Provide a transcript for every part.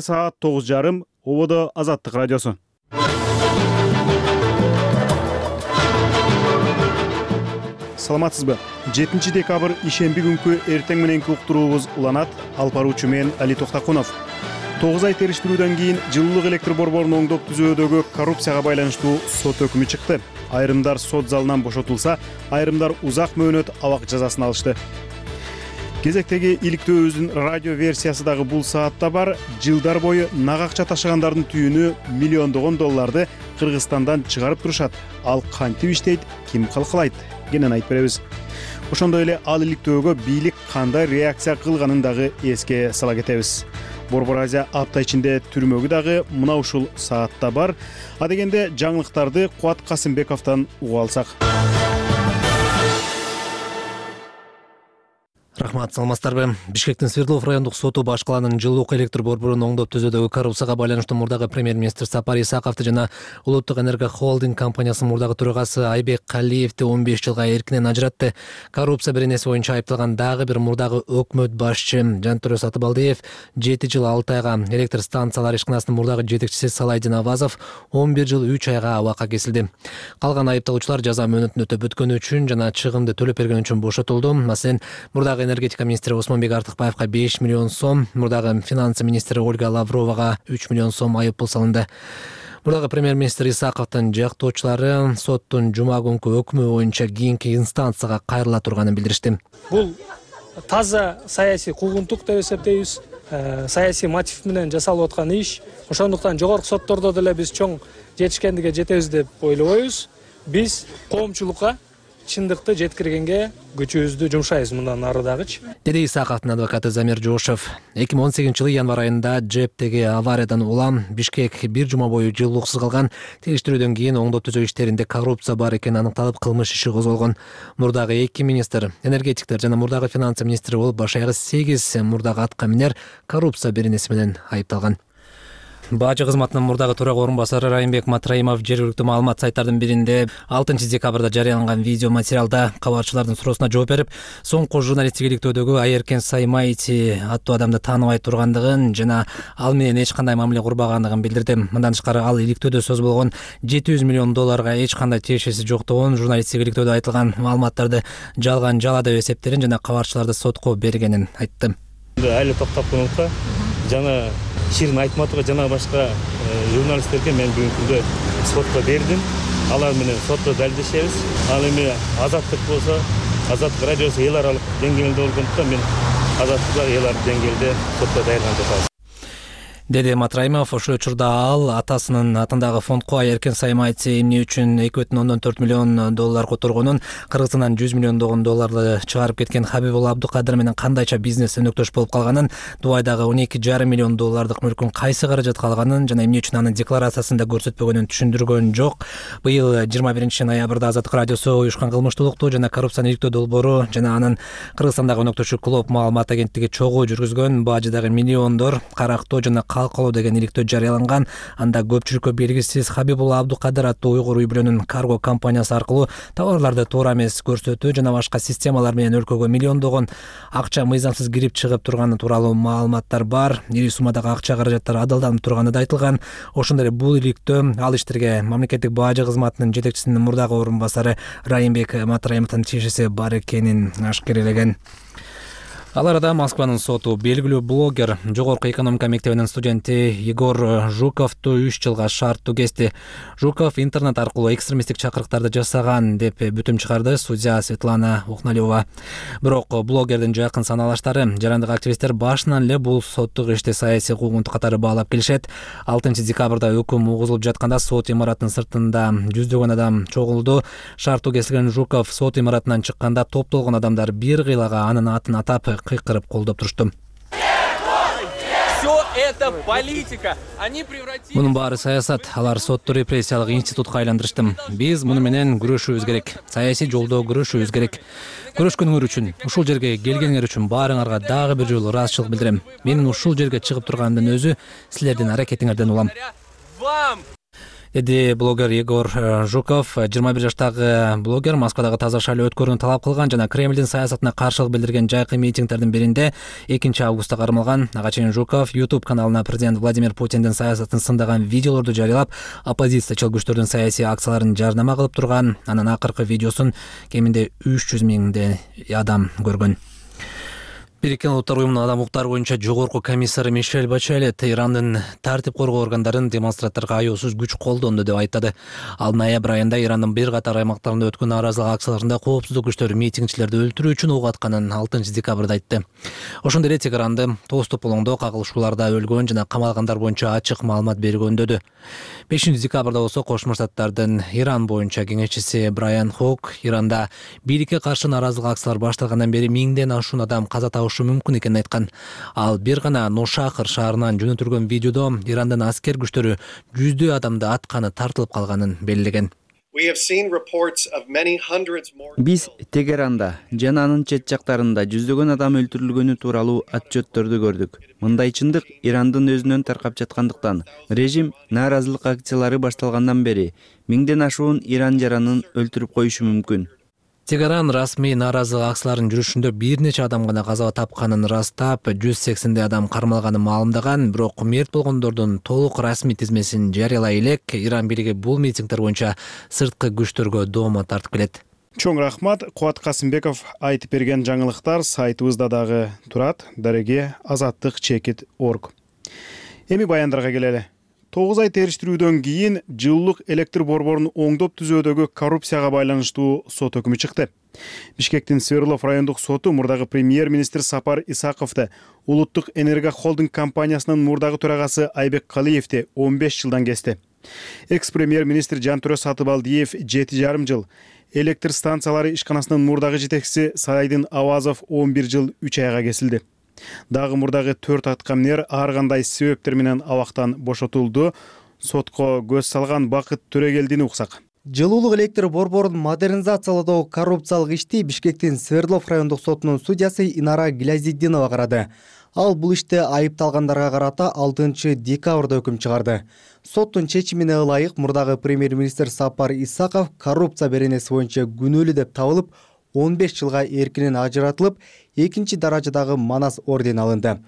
Саат 9:30 Ободо Азаттык радиосу. Саламатсызбы? 7 декабрь ишемби күнкү эртең мененки уктуруубуз уланат. Алып баруучу мен Али Токтакунов. 9 ай териштирүүдөн кийин жылуулук электр борборун оңдоп түзүүдөгү коррупцияга байланыштуу сот өкүмү чыкты. Айрымдар сот залынан бошотулса, айрымдар узак мөөнөт абак жазасын алышты. Кезектеги иликтөөбүздүн радио версиясы дагы бул саатта бар. Жылдар бою нак акча ташыгандардын түйүнү миллиондогон долларды Кыргызстандан чыгарып турушат. Ал кантип иштейт, ким калкалайт? Кенен айтып беребиз. Ошондой эле ал иликтөөгө бийлик кандай реакция кылганын дагы эске сала кетебиз. Борбор Азия апта ичинде түрмөгү дагы мына ушул саатта бар. А дегенде жаңылыктарды Кубат Касымбековдон угуп алсак. Рахмат, саламатсыздарбы? Бишкектин Свердлов райондук соту баш калаанын жылуулук электр борборун оңдоп түзүүдөгү коррупцияга байланыштуу мурдагы премьер-министр Сапар Исаковду жана Улуттук энерго холдинг компаниясынын мурдагы төрагасы Айбек Калиевди 15 жылга эркинен ажыратты. Коррупция беренеси боюнча айыпталган дагы бир мурдагы өкмөт башчы Жантөрө Сатыбалдиев 7 жыл 6 айга, электр станциялар ишканасынын мурдагы жетекчиси Салайдин Авазов 11 жыл 3 айга абакка кесилди. Калган айыпталуучулар жаза мөөнөтүн өтөп бүткөнү үчүн жана чыгымды төлөп бергени үчүн бошотулду. Маселен, мурдагы энергетика министри Осмонбек Артыкбаевга 5 миллион сом, мурдагы финансы министри Ольга Лавровага 3 миллион сом айып пул салынды. Мурдагы премьер-министр Исаковдун жактоочулары соттун жума күнкү өкмү боюнча кийинки инстанцияга кайрыла турганын билдиришти. Бул таза саясий куугунтук деп эсептейбиз. Саясий мотив менен жасалып аткан иш. Ошондуктан жогорку соттордо деле биз чоң жетишкендикке жетебиз деп ойлобойбуз. Биз коомчулукка чындыкты жеткиргенге күчүбүздү жумшайбыз мындан ары дагычы. Деди Исаковдун адвокаты Замир Жошев. 2018-жылы январь айында ЖЭПтеги авариядан улам Бишкек бир жума бою жылуулуксуз калган. Териштирүүдөн кийин оңдоп түзөө иштеринде коррупция бар экени аныкталып, кылмыш иши козголгон. Мурдагы 2 министр, энергетиктер жана мурдагы финансы министри болуп баш аягы 8 мурдагы атка минер коррупция беренеси менен айыпталган. Бажы кызматынын мурдагы төрага орун басары Райымбек Матраимов жергиликтүү маалымат сайттардын биринде 6 декабрда жарыяланган видео материалда кабарчылардын суроосуна жооп берип, соңку журналисттик иликтөөдөгү Айеркен Саймайти аттуу адамды тааныбай тургандыгын жана ал менен эч кандай мамиле курбагандыгын билдирди. Мындан тышкары ал иликтөөдө сөз болгон 700 миллион долларга эч кандай тиешеси жоктугун, журналисттик иликтөөдө айтылган маалыматтарды жалган жала деп эсептерин жана кабарчыларды сотко бергенин айтты. Али Токтакуновго жана Ширин Айтматовго жана башка журналисттерге мен бүгүнкү күндө сотко бердим. Алар менен сотто далилдешебиз. Ал эми Азаттык болсо, Азаттык радиосу эл аралык деңгээлде болгондуктан мен Азаттык эл аралык деңгээлде сотто даярданып жатабыз. Деди Матраимов. Ошол учурда ал атасынын атындагы фондко Айеркен Саймайти эмне үчүн 2,4 миллион доллар которгонун, Кыргызстандан 100 миллион долларды чыгарып кеткен Хабибулла Абдукадыр менен кандайча бизнес өнөктөш болуп калганын, Дубайдагы 12,5 миллион доллардык мүлкүн кайсы каражатка алганын жана эмне үчүн анын декларациясында көрсөтпөгөнүн түшүндүргөн жок. Быйыл 21 ноябрда Азаттык радиосу уюшкан кылмыштуулукту жана коррупцияны иликтөө долбоору жана анын Кыргызстандагы өнөктөшү Клоп маалымат агенттиги чогуу жүргүзгөн бажыдагы миллиондор карактоо жана калкалоо деген иликтөө жарыяланган. Анда көпчүлүккө белгисиз Хабибулла Абдукадыр аттуу уйгур үй-бүлөнүн карго компаниясы аркылуу товарларды туура эмес көрсөтүү жана башка системалар менен өлкөгө миллиондогон акча мыйзамсыз кирип чыгып турганы тууралуу маалыматтар бар. Ири суммадагы акча каражаттар адалданып турганы да айтылган. Ошондой эле бул иликтөө ал иштерге мамлекеттик бажы кызматынын жетекчисинин мурдагы орун басары Райымбек Матраимовдун тиешеси бар экенин ашкерелеген. Ал арада Москванын соту белгилүү блогер, жогорку экономика мектебинин студенти Егор Жуковду 3 жылга шарттуу кести. Жуков интернет аркылуу экстремисттик чакырыктарды жасаган деп бүтүм чыгарды судья Светлана Ухналева. Бирок блогердин жакын саналаштары, жарандык активисттер башынан эле бул соттук ишти саясий куугунтук катары баалап келишет. 6 декабрда өкүм угузулуп жатканда сот имаратынын сыртында жүздөгөн адам чогулду. Шарттуу кесилген Жуков сот имаратынан чыкканда топтолгон адамдар бир кыйлага анын атын атап кыйкырып колдоп турушту. Мунун баары саясат, алар сотто репрессиялык институтка айландырышты. Биз муну менен күрөшүүбүз керек. Саясий жолдо күрөшүүбүз керек. Көрүшкөнүңөр үчүн, ушул жерге келгениңер үчүн баарыңарга дагы бир жолу ыраазычылык билдирем. Менин ушул жерге чыгып турганымдын өзү силердин аракетиңерден улам. деди блогер Егор Жуков. 21 жаштагы блогер Москвадагы таза шайлоо өткөрүүнү талап кылган жана Кремлдин саясатына каршылык билдирген жайкы митингдердин биринде 2-августта кармалган. Ага чейин Жуков YouTube каналына президент Владимир Путиндин саясатын сындаган видеолорду жарыялап, оппозициячыл күчтөрдүн саясий акцияларын жарнама кылып турган. Анын акыркы видеосун кеминде 300 миңдей адам көргөн. Бириккен Улуттар уюмунун адам укуктары боюнча жогорку комиссары Мишель Бачелет Ирандын тартип коргоо органдарын демонстранттарга аяосуз күч колдонду деп айттады. Ал ноябрь айында Ирандын бир катар аймактарында өткөн нааразылык акцияларында коопсуздук күчтөрү митингчилерди өлтүрүү үчүн ок атканын 6 декабрда айтты. Ошондой эле Тегеранды тоостук болгондо кагылышууларда өлгөн жана камалгандар боюнча ачык маалымат бергөндөдү. 5 декабрда болсо Кошмо Штаттардын Иран боюнча кеңешчиси Брайан Хок Иранда бийликке каршы нааразылык акциялар башталгандан бери миңден ашуун адам каза табышы мүмкүн экенин айткан. Ал бир гана Нушахыр шаарынан жөнөтүлгөн видеодо Ирандын аскер күчтөрү жүздөй адамды атканы тартылып калганын белгилеген. Биз Тегеранда жана анын чет жактарында жүздөгөн адам өлтүрүлгөнү тууралуу отчеттөрдү көрдүк. Мындай чындык Ирандын өзүнөн таркап жаткандыктан режим нааразылык акциялары башталгандан бери миңден ашуун иран жаранын өлтүрүп коюшу мүмкүн. Тегеран расмий нааразылык акцияларынын жүрүшүндө бир нече адам гана каза тапканын ырастап, 180 адам кармалганын маалымдаган, бирок мерт болгондордун толук расмий тизмесин жарыялай элек Иран бийлиги бул митингдер боюнча сырткы күчтөргө доомат тартып келет. Чоң рахмат. Кубат Касымбеков айтып берген жаңылыктар сайтыбызда дагы турат. Дареге azattik.org. Эми баяндарга келели. 9 ай териштирүүдөн кийин жылуулук электр борборун оңдоп түзөөдөгү коррупцияга байланыштуу сот өкүмү чыкты. Бишкектин Свердлов райондук соту мурдагы премьер-министр Сапар Исаковду Улуттук энерго холдинг компаниясынын мурдагы төрагасы Айбек Калиевди 15 жылдан кести. Экс-премьер-министр Жантөрө Сатыбалдиев 7,5 жыл, электр станциялары ишканасынын мурдагы жетекчиси Сайдын Авазов 11 жыл 3 айга кесилди. Дагы мурдагы 4 аткамнер ар кандай себептер менен абактан бошотулду. Сотко көз салган Бакыт Төрөгелдин уксак. Жылуулук электр борборун модернизациялоодогу коррупциялык ишти Бишкектин Свердлов райондук сотунун судьясы Инара Гилязиддинова карады. Ал бул иште айыпталгандарга карата 6 декабрда өкүм чыгарды. Соттун чечимине ылайык мурдагы премьер-министр Сапар Исаков коррупция беренеси боюнча күнөөлүү деп табылып, 15 жылга эркинен ажыратылып, 2-даражадагы Манас ордени алынды.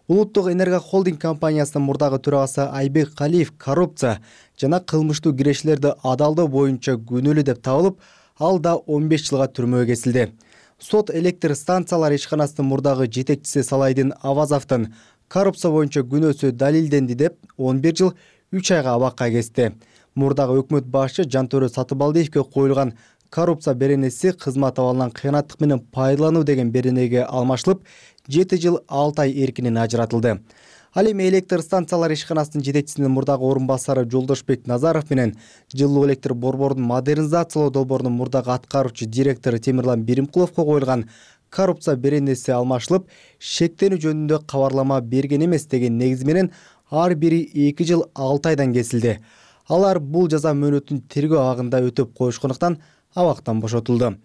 Улуттук энерго холдинг компаниясынын мурдагы төрагасы Айбек Калиев коррупция жана кылмыштуу кирешилерди адалдоо боюнча күнөөлүү деп табылып, ал да 15 жылга түрмөгө кесилди. Сот электр станциялары ишканасынын мурдагы жетекчиси Салайдын Авазовдун коррупция боюнча күнөөсү далилденди деп 11 жыл 3 айга абакка кести. Мурдагы өкмөт башчы Жантөрө Сатыбалдиевге коюлган коррупция беренеси кызмат абалынан кыянаттык менен пайдалануу деген беренеге алмашылып, 7 жыл 6 ай эркинен ажыратылды. Ал эми электр станциялары ишканасынын жетекчисинин мурдагы орун басары Жолдошбек Назаров менен жылуу электр борборунун модернизациялоо долбоорунун мурдагы аткаруучу директору Темирлан Биримкуловго коюлган коррупция беренеси алмашылып, шектенүү жөнүндө кабарлама берген эмес деген негиз менен ар бири 2 жыл 6 айдан кесилди. Алар бул жаза мөөнөтүн тергөө абагында өтөп коюшкондуктан абактан бошотулду.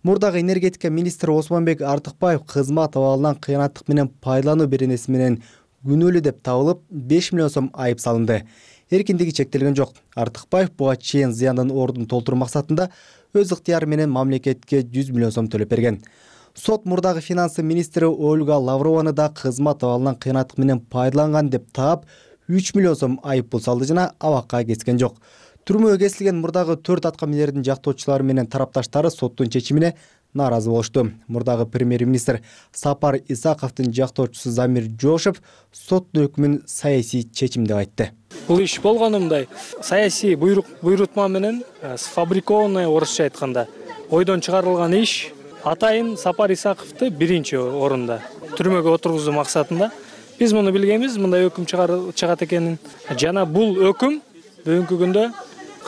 Мурдагы энергетика министри Осмонбек Артыкбаев кызмат абалынан кыянаттык менен пайдалануу беренеси менен күнөөлүү деп табылып, 5 миллион сом айып салынды. Эркиндиги чектелген жок. Артыкбаев буга чейин зыяндын ордун толтуруу максатында өз ыктыяры менен мамлекетке 100 миллион сом төлөп берген. Сот мурдагы финансы министри Ольга Лаврованы да кызмат абалынан кыянаттык менен пайдаланган деп таап, 3 миллион сом айып пул салды жана абакка кескен жок. Түрмөгө кесилген мурдагы 4 аткамнердин жактоочулары менен тарапташтары соттун чечимине нааразы болушту. Мурдагы премьер-министр Сапар Исаковдун жактоочусу Замир Жошев соттун өкүмүн саясий чечим деп айтты. Бул иш болгону мындай, саясий буйрутма менен сфабрикованный орусча айтканда ойдон чыгарылган иш. Атайын Сапар Исаковду биринчи орунда түрмөгө отургузуу максатында биз муну билгенбиз, мындай өкүм чыгат экенин. Жана бул өкүм бүгүнкү күндө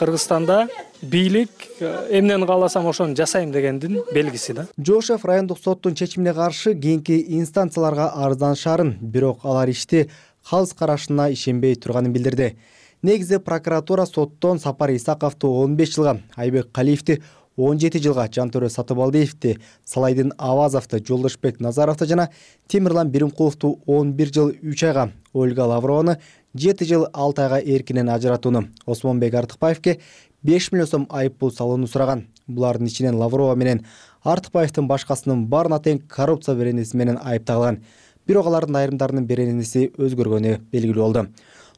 Кыргызстанда бийлик эмнени кааласам ошону жасайм дегендин белгиси да. Жошев райондук соттун чечимине каршы кийинки инстанцияларга арызданышарын, бирок алар ишти калыс карашына ишенбей турганын билдирди. Негизи прокуратура соттон Сапар Исаковду 15 жылга, Айбек Калиевди 17 жылга, Жантөрө Сатыбалдиевди, Салайдын Авазовду, Жолдошбек Назаровду жана Темирлан Биримкуловду 11 жыл 3 айга, Ольга Лаврованы 7 жыл 6 айга эркинен ажыратууну, Осмонбек Артыкбаевке 5 миллион сом айып пул салууну сураган. Булардын ичинен Лаврова менен Артыкбаевдин башкасынын баарына тең коррупция беренеси менен айыпталган. Бирок алардын айрымдарынын беренеси өзгөргөнү белгилүү болду.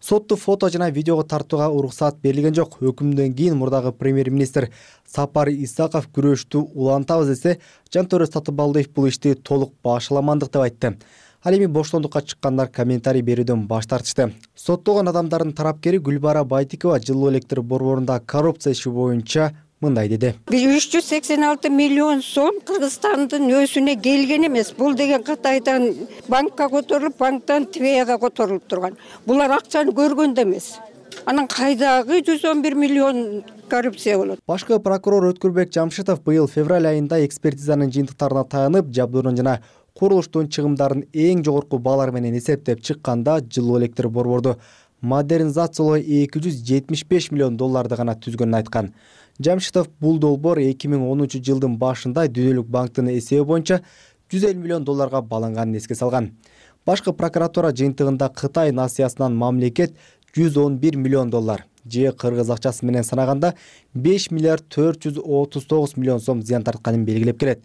Сотту фото жана видеого тартууга уруксат берилген жок. Өкүмдөн кийин мурдагы премьер-министр Сапар Исаков күрөштү улантабыз десе, Жантөре Сатыбалдиев бул ишти толук башаламандык деп айтты. Ал эми боштондукка чыккандар комментарий берүүдөн баш тартышты. Соттолгон адамдардын тарапкери Гүлбара Байтикова жылуу электр борборунда коррупция иши боюнча мындай деди. 386 миллион сом Кыргызстандын өсүнө келген эмес. Бул деген Кытайдан банкка которулуп, банктан ТВЭга которулуп турган. Булар акчаны көргөн да эмес. Анан кайдагы 111 миллион коррупция болот. Башкы прокурор Өткүрбек Жамшитов быйыл февраль айында экспертизанын жыйынтыктарына таянып, жабдуунун жана курулуштун чыгымдарын эң жогорку баалар менен эсептеп чыкканда, жылуу электр борборду модернизациялоо 275 миллион долларды гана түзгөнүн айткан. Жамшитов бул долбоор 2010 жылдын башында Дүйнөлүк банктын эсеби боюнча 150 миллион долларга баланганын эске салган. Башкы прокуратура жыйынтыгында Кытай насыясынан мамлекет 111 миллион доллар, же кыргыз акчасы менен санаганда 5 миллиард 439 миллион сом зыян тартканын белгилеп келет.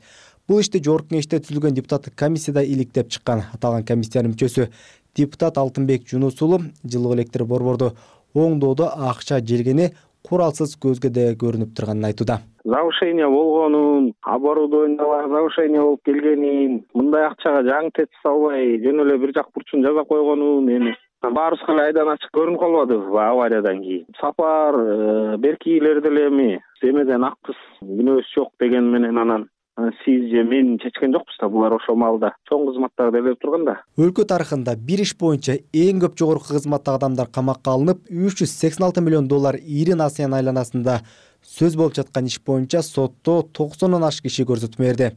Бул ишти жогорку кеңеште түзүлгөн депутаттык комиссияда иликтеп чыккан. Аталган комиссиянын мүчөсү депутат Алтынбек Жунус уулу жылуу электр борборду оңдоодо акча желгени куралсыз көзгө да көрүнүп турганын айтууда. Завышение болгонун, оборудованиялар завышение болуп келгенин, мындай акчага жаңы тет салбай, жөн эле бир жак бурчун жаза койгонун эми баарыбызга эле айдан ачык көрүнүп калбадыбы авариядан кийин. Сапар беркилер деле эми эмеден акпыз, күнөөсү жок деген менен анан сиз же мен чечкен жокпуз да, булар ошол маалда чоң кызматтарды элеп турганда. Өлкө тарыхында бир иш боюнча эң көп жогорку кызматтагы адамдар камакка алынып, 386 миллион доллар ири насыян айланасында сөз болуп жаткан иш боюнча сотто 90 ашык киши көрсөтмө берди.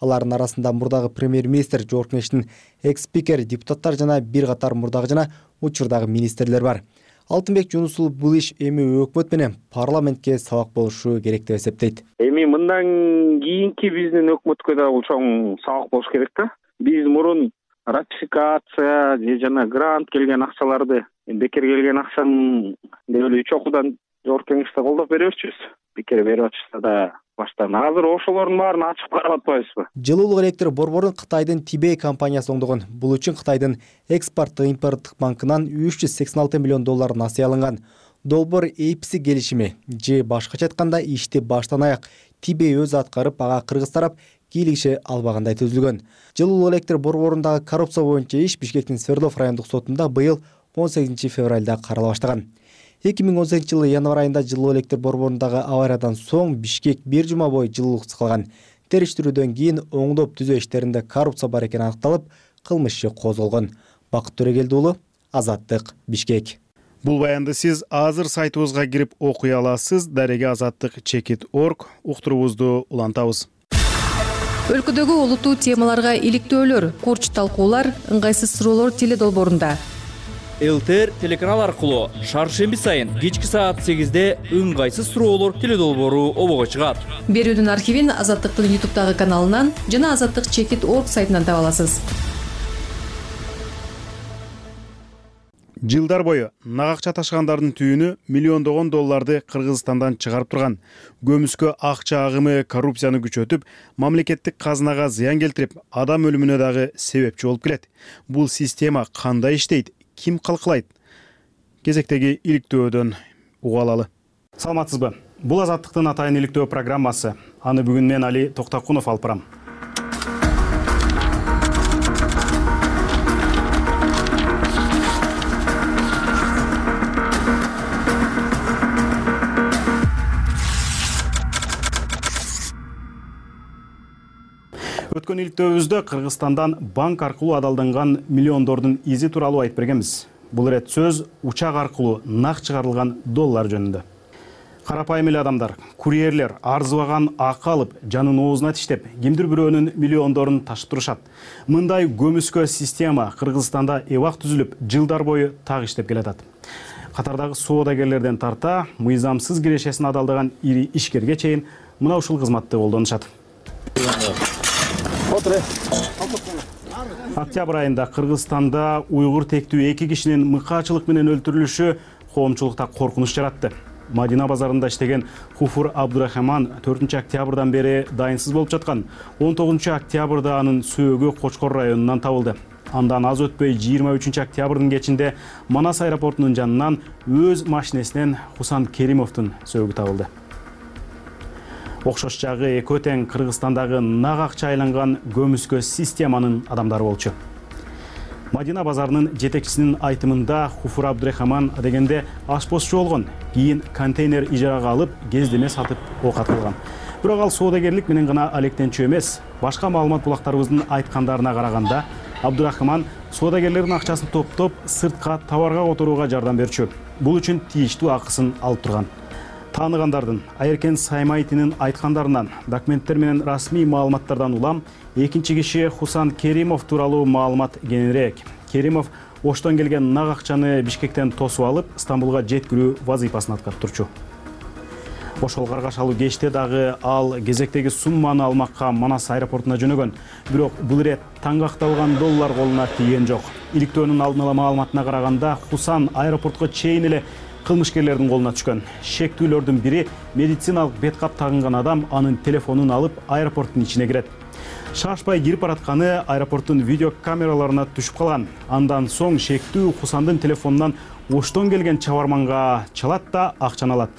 Алардын арасында мурдагы премьер-министр, жогорку кеңештин экс-спикер, депутаттар жана бир катар мурдагы жана учурдагы министрлер бар. Алтынбек Жунус уулу бул иш эми өкмөт менен парламентке сабак болушу керек деп эсептейт. Эми мындан кийинки биздин өкмөткө да бул чоң сабак болуш керек да. Биз мурун ратификация же жана грант келген акчаларды, бекер келген акчаны деп эле 3 окуудан жогорку кеңеште колдоп беребизчүбүз. Бекер берип атышса да баштан. Азыр ошолордун баарын ачып карап атпайбызбы? Жылуулук электр борборун Кытайдын Тибей компаниясы оңдогон. Бул үчүн Кытайдын экспорттук-импорттук банкынан 386 миллион доллар насыя алынган. Долбоор эйпси келишими, же башкача айтканда ишти баштан аяк Тибей өзү аткарып, ага кыргыз тарап кийлигише албагандай түзүлгөн. Жылуулук электр борборундагы коррупция боюнча иш Бишкектин Свердлов райондук сотунда быйыл 18 февралда карала баштаган. 2018 жылы январь айында жылуу электр борборундагы авариядан соң Бишкек бир жума бою жылуулуксуз калган. Териштирүүдөн кийин оңдоп түзөө иштеринде коррупция бар экени аныкталып, кылмыш иши козголгон. Бакыт Төрегелди уулу, Азаттык, Бишкек. Бул баянды сиз азыр сайтыбызга кирип окуй аласыз. Дареге azattik.org уктурубузду улантабыз. Өлкөдөгү олуттуу темаларга иликтөөлөр, курч талкуулар, ыңгайсыз суроолор теледолбоорунда. ЛТР телеканал аркылуу шаршемби сайын кечки саат 8-де ыңгайсыз суроолор теледолбоору обого чыгат. Берүүдүн архивин Азаттыктын YouTube'дагы каналынан жана azattik.org сайтынан таба аласыз. Жылдар бою нак акча ташыгандардын түйүнү миллиондогон долларды Кыргызстандан чыгарып турган. Көмүскө акча агымы коррупцияны күчөтүп, мамлекеттик казынага зыян келтирип, адам өлүмүнө дагы себепчи болуп келет. Бул система кандай иштейт? Ким калкалайт? Кезектеги иликтөөдөн уга алалы. Саламатсызбы? Бул Азаттыктын атайын иликтөө программасы. Аны бүгүн мен Али Токтакунов алып барам. Өткөн иликтөөбүздө Кыргызстандан банк аркылуу адалданган миллиондордун изи тууралуу айтып бергенбиз. Бул ирет сөз учак аркылуу нак чыгарылган доллар жөнүндө. Карапайым эле адамдар, курьерлер арзыбаган акы алып, жанын оозуна тиштеп, кимдир бирөөнүн миллиондорун ташып турушат. Мындай көмүскө система Кыргызстанда эбак түзүлүп, жылдар бою так иштеп келатат. Катардагы соодагерлерден тарта, мыйзамсыз кирешесин адалдаган ири ишкерге чейин мына ушул кызматты колдонушат. Октябрь айында Кыргызстанда уйгур тектүү 2 кишинин мыкаачылык менен өлтүрүлүшү коомчулукта коркунуч жаратты. Мадина базарында иштеген Хуфур Абдурахман 4 октябрдан бери дайынсыз болуп жаткан. 19 октябрда анын сөөгү Кочкор районунан табылды. Андан аз өтпөй 23 октябрдын кечинде Манас аэропортунун жанынан өз машинесинен Хусан Керимовдун сөөгү табылды. Окшош жагы экөө тең Кыргызстандагы нак акча айланган көмүскө системанын адамдары болчу. Мадина базарынын жетекчисинин айтымында Хуфур Абдурахман дегенде ашпозчу болгон, кийин контейнер ижарага алып, кездеме сатып оокат кылган. Бирок ал соодагерлик менен гана алектенчү эмес. Башка маалымат булактарыбыздын айткандарына караганда, Абдурахман соодагерлердин акчасын топтоп, сыртка товарга которууга жардам берчү. Бул үчүн тийиштүү акысын алып турган. Тааныгандардын Айеркен Саймайтинин айткандарынан, документтер менен расмий маалыматтардан улам, экинчи киши Хусан Керимов тууралуу маалымат кеңирээк. Керимов Оштон келген нак акчаны Бишкектен тосуп алып, Стамбулга жеткирүү вазыйпасын аткарып турчу. Ошол каргашалуу кечте дагы ал кезектеги сумманы алмакка Манас аэропортуна жөнөгөн. Бирок бул ирет таңгакталган доллар колуна тийген жок. Иликтөөнүн алдын ала маалыматына караганда, Хусан аэропортко чейин эле кылмышкерлердин колуна түшкөн. Шектүүлөрдүн бири медициналык беткап тагынган адам анын телефонун алып аэропорттун ичине кирет. Шашпай кирип баратканы аэропорттун видео камераларына түшүп калган. Андан соң шектүү Хусандын телефонунан Оштон келген чабарманга чалат да акчаны алат.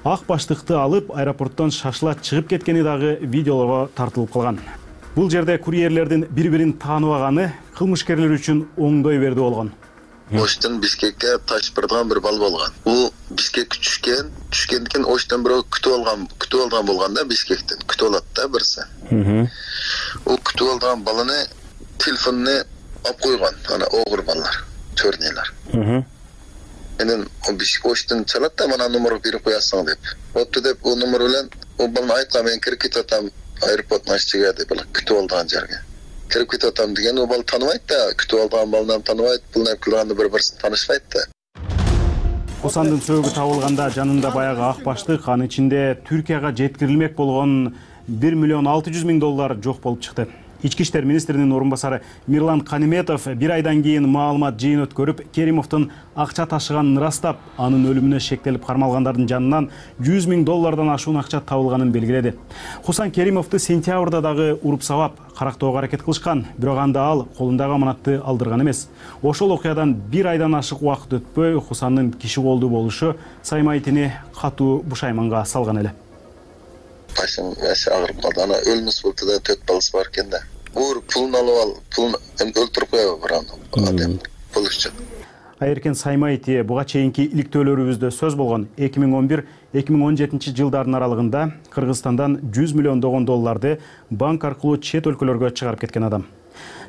Ак баштыкты алып аэропорттон шашыла чыгып кеткени дагы видеолорго тартылып калган. Бул жерде курьерлердин бири-бирин тааныбаганы кылмышкерлер үчүн оңдой берди болгон. Оштон Бишкекке ташпырдаган бир бал болгон. Бул Бишкекке түшкөндөн Оштон бирөө күтүп алган болгон да, Бишкектен күтүп алат да бирсе. О күтүп алган баланы телефонуна алып койгон, ана огур балдар, чорнелер. Менен Оштон чалат да, мана номер берип коясың деп. Отту деп, о номер менен о баланы айткан, мен кирип кетатам аэропорттун ашчыга деп, күтүп алган жерге. Кирип кетатам деген, о бал тааныбайт да, күтүп алган баланы тааныбайт, бул нерсе кылганда бири-бирин таанышпайт да. Хусандын сөөгү табылганда жанында баягы ак баштык, анын ичинде Түркияга жеткирилмек болгон $1,600,000 жок болуп чыкты. Ички иштер министринин орун басары Мирлан Каниметов бир айдан кийин маалымат жыйын өткөрүп, Керимовдун акча ташыганын ырастап, анын өлүмүнө шектелип кармалгандардын жанынан $100,000 ашуун акча табылганын белгиледи. Хусан Керимовду сентябрда дагы уруп сабап, карактоого аракет кылышкан, бирок анда ал колундагы аманатты алдырган эмес. Ошол окуядан бир айдан ашык убакыт өтпөй, Хусандын киши колдуу болушу Саймайтини катуу бушайманга салган эле. Başım yaşı ağır buldu. Ana ölmüş buldu da 4 balası varken de. Uğur pulunu alıp al, pulunu öldürüp koyuyor adam. Pul için. Айеркен Саймайти буга чейинки иликтөөлөрүбүздө сөз болгон 2011-2017 жылдардын аралыгында Кыргызстандан $100 миллион банк аркылуу чет өлкөлөргө чыгарып кеткен адам.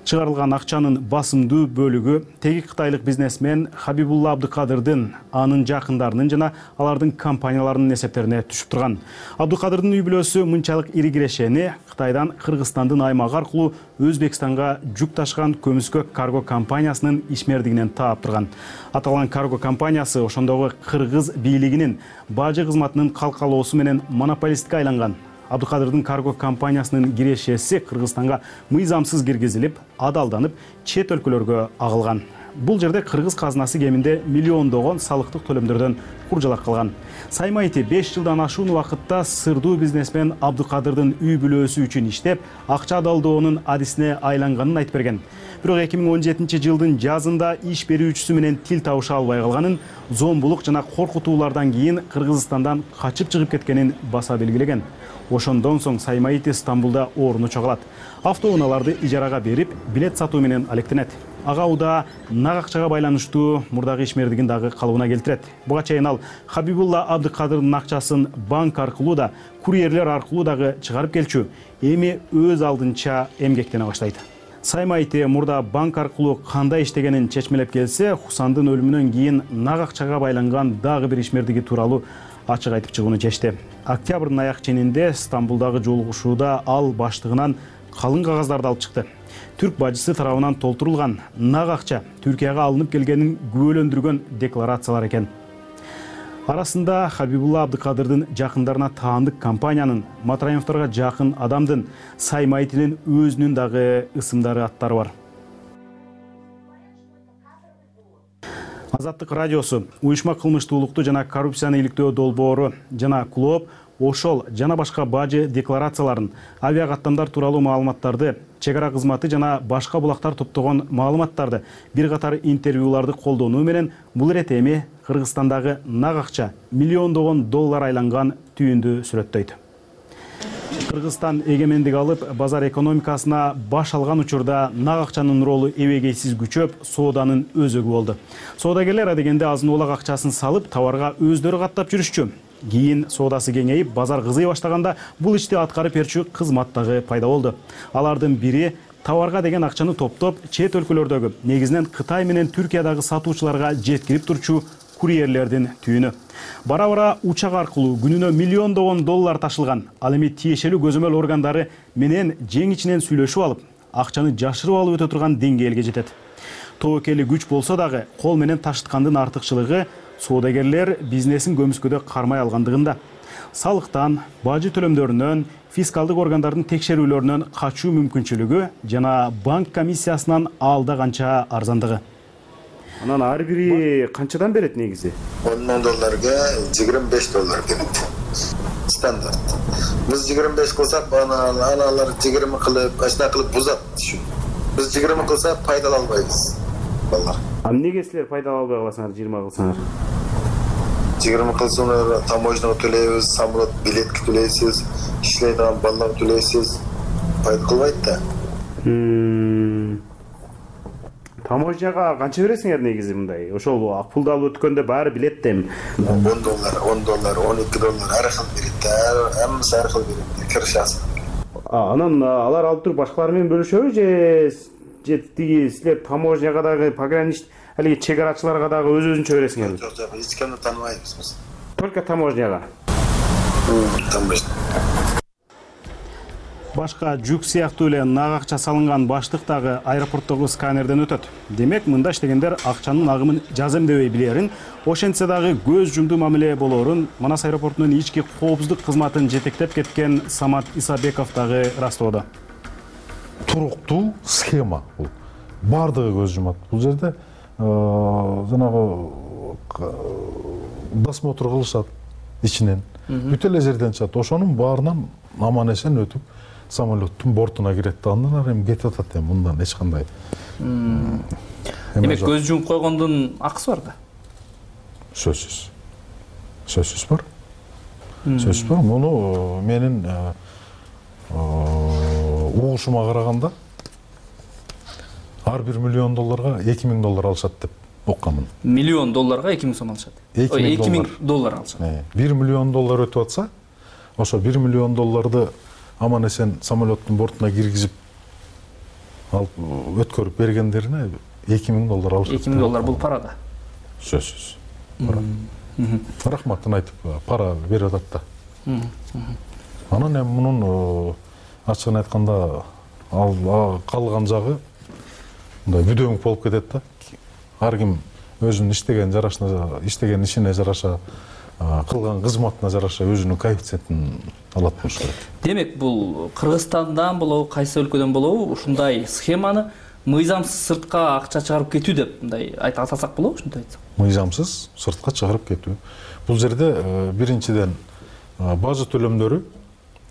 Чыгарылган акчанын басымдуу бөлүгү теги кытайлык бизнесмен Хабибулла Абдыкадырдын, анын жакындарынын жана алардын компанияларынын эсептерине түшүп турган. Абдыкадырдын үй бүлөсү мынчалык ири кирешени Кытайдан Кыргызстандын аймагы аркылуу Өзбекстанга жүк ташкан көмүскө карго компаниясынын ишмердигинен таап турган. Аталган карго компаниясы ошондогу кыргыз бийлигинин бажы кызматынын калкалоосу менен монополистке айланган. Абдыкадырдын карго компаниясынын кирешеси Кыргызстанга мыйзамсыз киргизилип, адалданып, чет өлкөлөргө агылган. Бул жерде кыргыз казынасы кеминде миллиондогон салыктык төлөмдөрдөн куржалак калган. Саймайти 5 жылдан ашуун убакытта сырдуу бизнесмен Абдыкадырдын үй бүлөсү үчүн иштеп, акча адалдоонун адисине айланганын айтып берген. Бирок 2017 жылдын жазында иш берүүчүсү менен тил табыша албай калганын, зомбулук жана коркутуулардан кийин Кыргызстандан качып чыгып кеткенин баса белгилеген. Ошондон соң Саймайти Стамбулда орун чогулат. Автоунааларды ижарага берип, билет сатуу менен алектенет. Ага уда нак акчага байланыштуу мурдагы ишмердигин дагы калыбына келтирет. Буга чейин ал Хабибулла Абдыкадырдын акчасын банк аркылуу да, курьерлер аркылуу дагы чыгарып келчү. Эми өз алдынча эмгектене баштайт. Саймайти мурда банк аркылуу кандай иштегенин чечмелеп келсе, Хусандын өлүмүнөн кийин нак акчага байланган дагы бир ишмердиги тууралуу ачык айтып чыгууну чечти. Октябрдын аяк ченинде Стамбулдагы жолугушууда ал баштыгынан калың кагаздарды алып чыкты. Түрк бажысы тарабынан толтурулган нак акча Түркияга алынып келгенин күбөлөндүргөн декларациялар экен. Арасында Хабибулла Абдыкадырдын жакындарына таандык компаниянын, Матраимовторго жакын адамдын, Саймайтинин өзүнүн дагы ысымдары, аттары бар. Азаттык радиосу, уюшма кылмыштуулукту жана коррупцияны иликтөө долбоору жана клооп ошол жана башка бажы декларацияларын, авиакаттамдар тууралуу маалыматтарды, чек ара кызматы жана башка булактар топтогон маалыматтарды, бир катар интервьюларды колдонуу менен бул ирет эми Кыргызстандагы нак акча миллиондогон доллар айланган түйүндү сүрөттөйт. Кыргызстан эгемендик алып, базар экономикасына баш алган учурда нак акчанын ролу эбегейсиз күчөп, сооданын өзөгү болду. Соодагерлер адегенде азын оолак акчасын салып, товарга өздөрү каттап жүрүшчү. Кийин соодасы кеңейип, базар кызый баштаганда бул ишти аткарып берчү кызмат дагы пайда болду. Алардын бири товарга деген акчаны топтоп, чет өлкөлөрдөгү, негизинен Кытай менен Түркиядагы сатуучуларга жеткирип турчу курьерлердин түйүнү. Бара-бара учак аркылуу күнүнө миллиондогон доллар ташылган. Ал эми тиешелүү көзөмөл органдары менен жең ичинен сүйлөшүп алып, акчаны жашырып алып өтө турган деңгээлге жетет. Тобокели күч болсо дагы, кол менен ташыткандын артыкчылыгы соодагерлер бизнесин көмүскөдө кармай алгандыгында. Салыктан, бажы төлөмдөрүнөн, фискалдык органдардын текшерүүлөрүнөн качуу мүмкүнчүлүгү жана банк комиссиясынан алда канча арзандыгы. Анан ар бири канчадан берет негизи? 10 000 долларга 25 доллар берет. Стандарт. Биз 25 кылсак, аналар 20 кылып, ачна кылып бузат. Биз 20 кылсак пайдала албайбыз. Балдар. Эмнеге силер пайдала албай каласыңар 20 кылсаңар? 20 кылсаңар таможняга төлөйбүз, самолет билетке төлөйсүз, иштейдиган балага төлөйсүз. Пайда кылбайт да. Таможняга канча бересиңер негизи мындай? Ошол пулду алып өткөндө баары билет да эми. 10 доллар, 12 доллар ар кыл берет да, аммасы ар кыл берет. Киршасы. Анан алар алып туруп башкалар менен бөлүшөбү же тиги силер таможняга дагы пограничник алиги чек арачыларга дагы өзүнчө бересиңерби? Жок, эч кимди тааныбайбыз биз. Только таможняга. Таможня. Башка жүк сыяктуу эле нак акча салынган баштык дагы аэропорттогу сканерден өтөт. Демек, мында иштегендер акчанын агымын жаземдебей билерин, ошентсе дагы көз жумду мамиле болоорун Манас аэропортунун ички коопсуздук кызматын жетектеп кеткен Самат Исабеков дагы ырастоодо. Туруктуу схема бул. Бардыгы көз жумат. Бул жерде жанагы досмотр кылышат ичинен. Бүт эле жерден чыгат. Ошонун баарынан аман эсен өтүп самолеттун бортуна кирет да, андан ары эми кетип атат эми мындан эч кандай. Демек көз жумуп койгондун акысы бар да? Сөзсүз. Сөзсүз бар. Сөзсүз бар. Муну менин угушума караганда ар бир миллион долларга 2000 доллар алышат деп оккамын. Миллион долларга 2000 сом алышат. 2000 доллар алышат. 1 миллион доллар өтүп атса, ошо 1 миллион долларды аман эсен самолеттун бортуна киргизип алып өткөрүп бергендерине 2000 доллар алышат. 2000 доллар бул пара да. Сөзсүз. Рахматын айтып пара берип атат да. Анан эми мунун ачыгын айтканда калган жагы мындай бүдөңүк болуп кетет да. Ар ким өзүнүн иштеген ишине жараша, кылган кызматына жараша өзүнүн коэффициентин алат болуш керек. Демек, бул Кыргызстандан болобу, кайсы өлкөдөн болобу ушундай схеманы мыйзамсыз сыртка акча чыгарып кетүү деп мындай атасак болобу, ушундай айтсак? Мыйзамсыз сыртка чыгарып кетүү. Бул жерде биринчиден бажы төлөмдөрү,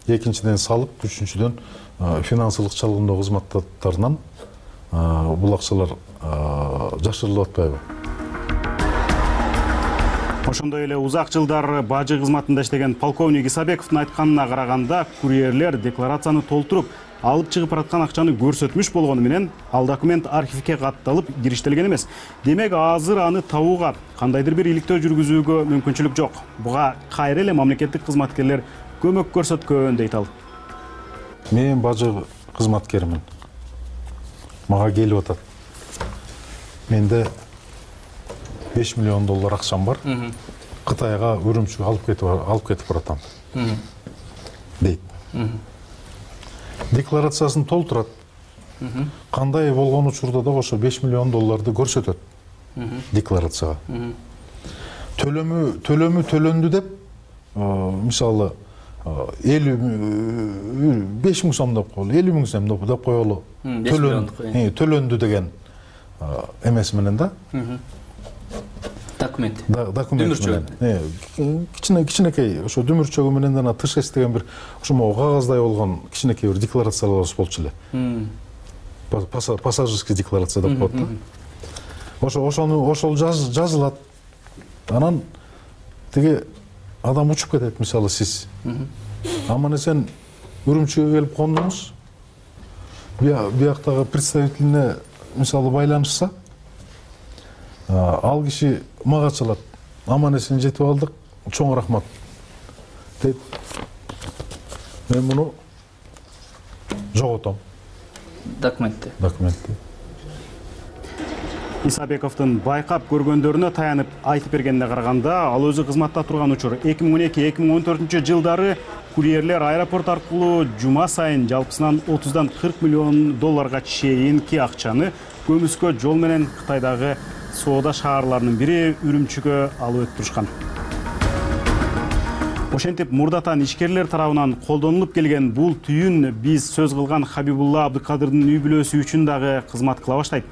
экинчиден салык, үчүнчүдөн финансылык чалгындоо кызматтарынан бул акчалар жашырылып атпайбы? Ошондой эле узак жылдар бажы кызматында иштеген полковник Исабековдун айтканына караганда, курьерлер декларацияны толтуруп, алып чыгып бараткан акчаны көрсөтмүш болгону менен, ал документ архивге катталып кириштелген эмес. Демек, азыр аны табууга, кандайдыр бир иликтөө жүргүзүүгө мүмкүнчүлүк жок. Буга кайра эле мамлекеттик кызматкерлер көмөк көрсөткөн дейт ал. Мен бажы кызматкеримин. Мага келип атат. Менде 5 миллион доллар акчам бар. Кытайга Үрүмчүгө алып кетип баратам. Дейт. Декларациясын толтурат. Кандай болгон учурда да ошо 5 миллион долларды көрсөтөт. Декларацияга. Төлөмү төлөндү деп, мисалы 5 миң сом деп коелу, 50 миң сом деп коелу. Төлөндү деген эмес менен да. документ менен кичинекей ошо дүмүрчөгү менен жана тышэс деген бир ошо могу кагаздай болгон кичинекей бир декларацияларыбыз болчу эле. Пассажирский декларация деп коет да. Ошол жазылат. Анан тиги адам учуп кетет, мисалы сиз. Аман эсен Үрүмчүгө келип кондуңуз. Бияктагы представителине мисалы байланышса, ал киши мага чалат. Аман эсен жетип алдык, чоң рахмат дейт. Мен муну жоготом. Документти. Исабековдун байкап көргөндөрүнө таянып айтып бергенине караганда, ал өзү кызматта турган учур 2012-2014 жылдары курьерлер аэропорт аркылуу жума сайын жалпысынан 30-дан 40 миллион долларга чейинки акчаны көмүскө жол менен Кытайдагы соода шаарларынын бири Үрүмчүгө алып өтүп турушкан. Ошентип мурдатан ишкерлер тарабынан колдонулуп келген бул түйүн биз сөз кылган Хабибулла Абдыкадырдын үй бүлөсү үчүн дагы кызмат кыла баштайт.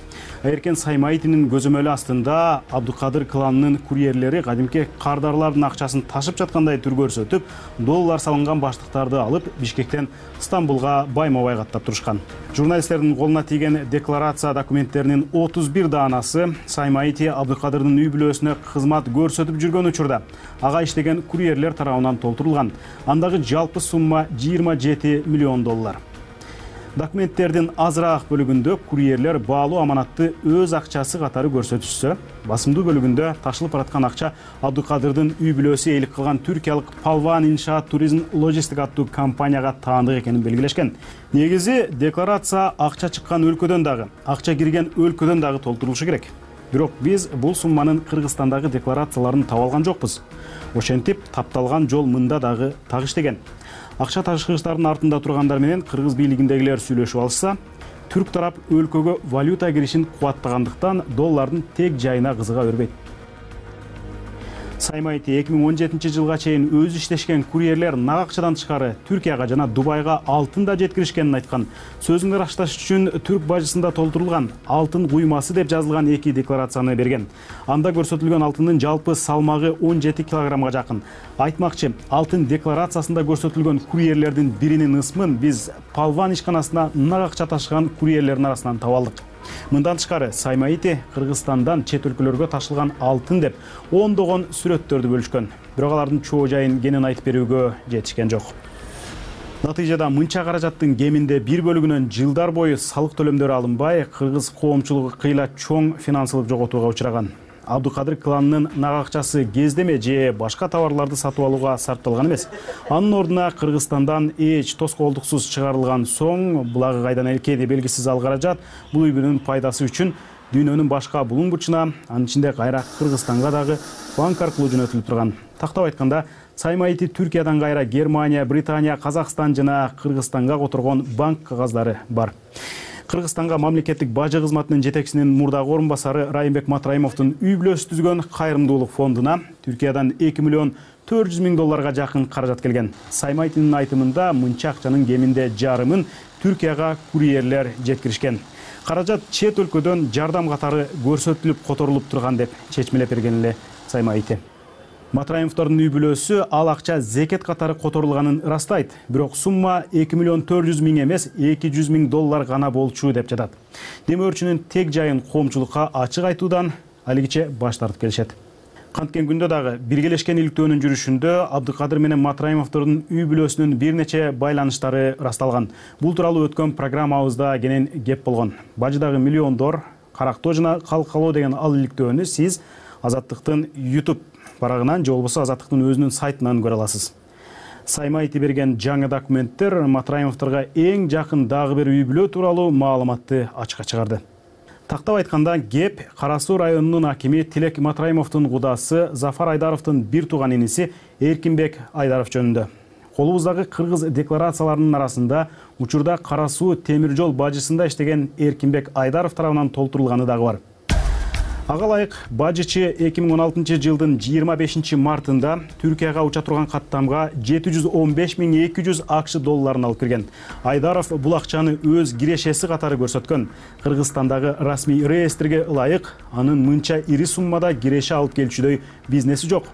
Эркен Саймаитинин көзөмөлү астында Абдыкадыр кланынын курьерлери кадимки кардарлардын акчасын ташып жаткандай түр көрсөтүп, доллар салынган баштыктарды алып Бишкектен Стамбулга байма-бай каттап турушкан. Журналисттердин колуна тийген декларация документтеринин 31 даанасы Саймаити Абдыкадырдын үй бүлөсүнө кызмат көрсөтүп жүргөн учурда ага иштеген курьерлер тарабынан толтурулган. Андагы жалпы сумма 27 миллион доллар. Документтердин азыраак бөлүгүндө курьерлер баалуу аманатты өз акчасы катары көрсөтүшсө, басымдуу бөлүгүндө ташылып бараткан акча Абдыкадырдын үй бүлөсү ээлик кылган түркиялык Палван иншаат туризм логистик аттуу компанияга таандык экенин белгилешкен. Негизи декларация акча чыккан өлкөдөн дагы, акча кирген өлкөдөн дагы толтурулушу керек. Бирок биз бул сумманын Кыргызстандагы декларацияларын таба алган жокпуз. Ошентип тапталган жол мында дагы тагыштеген. Акча ташкычтардын артында тургандар менен кыргыз бийлигиндегилер сүйлөшүп алышса, түрк тарап өлкөгө валюта киришин кубаттагандыктан доллардын тег жайына кызыга бербейт. Саймаити 2017 жылга чейин өзү иштешкен курьерлер нак акчадан тышкары Түркияга жана Дубайга алтын да жеткиришкенин айткан. Сөзүн ырасташ үчүн түрк бажысында толтурулган алтын куймасы деп жазылган 2 декларацияны берген. Анда көрсөтүлгөн алтындын жалпы салмагы 17 килограммга жакын. Айтмакчы, алтын декларациясында көрсөтүлгөн курьерлердин биринин ысмын биз Палван ишканасына нак акча ташыган курьерлердин арасынан таба алдык. Мындан тышкары Саймаити Кыргызстандан чет өлкөлөргө ташылган алтын деп ондогон сүрөттөрдү бөлүшкөн. Бирок алардын чоо жайын кенен айтып берүүгө жетишкен жок. Натыйжада мынча каражаттын кеминде бир бөлүгүнөн жылдар бою салык төлөмдөрү алынбай, кыргыз коомчулугу кыйла чоң финансылык жоготууга учураган. Абдыкадыр кланынын нак акчасы кездеме же башка товарларды сатып алууга сарпталган эмес. Анын ордуна Кыргызстандан эч тоскоолдуксуз чыгарылган соң, булагы кайдан элкеди белгисиз ал каражат бул үй бүлөнүн пайдасы үчүн дүйнөнүн башка булуң бурчуна, анын ичинде кайра Кыргызстанга дагы банк аркылуу жөнөтүлүп турган. Тактап айтканда, Саймаити Түркиядан кайра Германия, Британия, Казакстан жана Кыргызстанга которгон банк кагаздары бар. Кыргызстанга мамлекеттик бажы кызматынын жетекчисинин мурдагы орун басары Райымбек Матраимовдун үй бүлөсү түзгөн кайрымдуулук фондуна Түркиядан 2 миллион 400 миң долларга жакын каражат келген. Саймайтинин айтымында мынча акчанын кеминде жарымын Түркияга курьерлер жеткиришкен. Каражат чет өлкөдөн жардам катары көрсөтүлүп которулуп турган деп чечмелеп берген эле Саймайти. Матраимовдордун үй бүлөсү ал акча зекет катары которулганын ырастайт. Бирок сумма 2 миллион 400 миң эмес, 200 миң доллар гана болчу деп жатат. Демөөрчүнүн тег жайын коомчулукка ачык айтуудан алигиче баш тартып келишет. Канткен күндө дагы биргелешкен иликтөөнүн жүрүшүндө Абдыкадыр менен Матраимовдордун үй бүлөсүнүн бир нече байланыштары ырасталган. Бул тууралуу өткөн программабызда кенен кеп болгон. Бажыдагы миллиондор карактоо жана калкалоо деген ал иликтөөнү сиз Азаттыктын YouTube барагынан же болбосо Азаттыктын өзүнүн сайтынан көрө аласыз. Саймаити берген жаңы документтер Матраимовдорго эң жакын дагы бир үй бүлө тууралуу маалыматты ачыкка чыгарды. Тактап айтканда, кеп Кара Суу районунун акими Тилек Матраимовдун кудасы Зафар Айдаровдун бир тууган иниси Эркинбек Айдаров жөнүндө. Колубуздагы кыргыз декларацияларынын арасында учурда Кара Суу темир жол бажысында иштеген Эркинбек Айдаров тарабынан толтурулганы дагы бар. Ага ылайык бажычы 2016 жылдын 25 мартында Түркияга уча турган каттамга 715.200 акш долларын алып кирген. Айдаров бул акчаны өз кирешеси катары көрсөткөн. Кыргызстандагы расмий реестрге ылайык анын мынча ири суммада киреше алып келчүдөй бизнеси жок.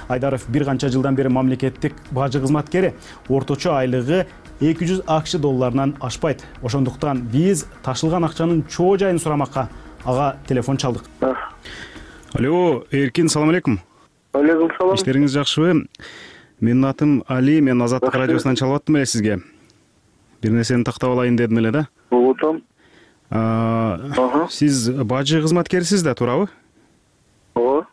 Айдаров бир канча жылдан бери мамлекеттик бажы кызматкери, орточо айлыгы 200 акш долларынан ашпайт. Ошондуктан биз ташылган акчанын чоо жайын сурамакка ага телефон чалдык. Алло, Эркин, салам алейкум. Алейкум салам. Иштериңиз жакшыбы? Менин атым Али, мен Азаттык радиосунан чалып аттым эле сизге. Бир нерсени тактап алайын дедим эле да. Болотом. Сиз бажы кызматкерисиз да, туурабы? Ооба.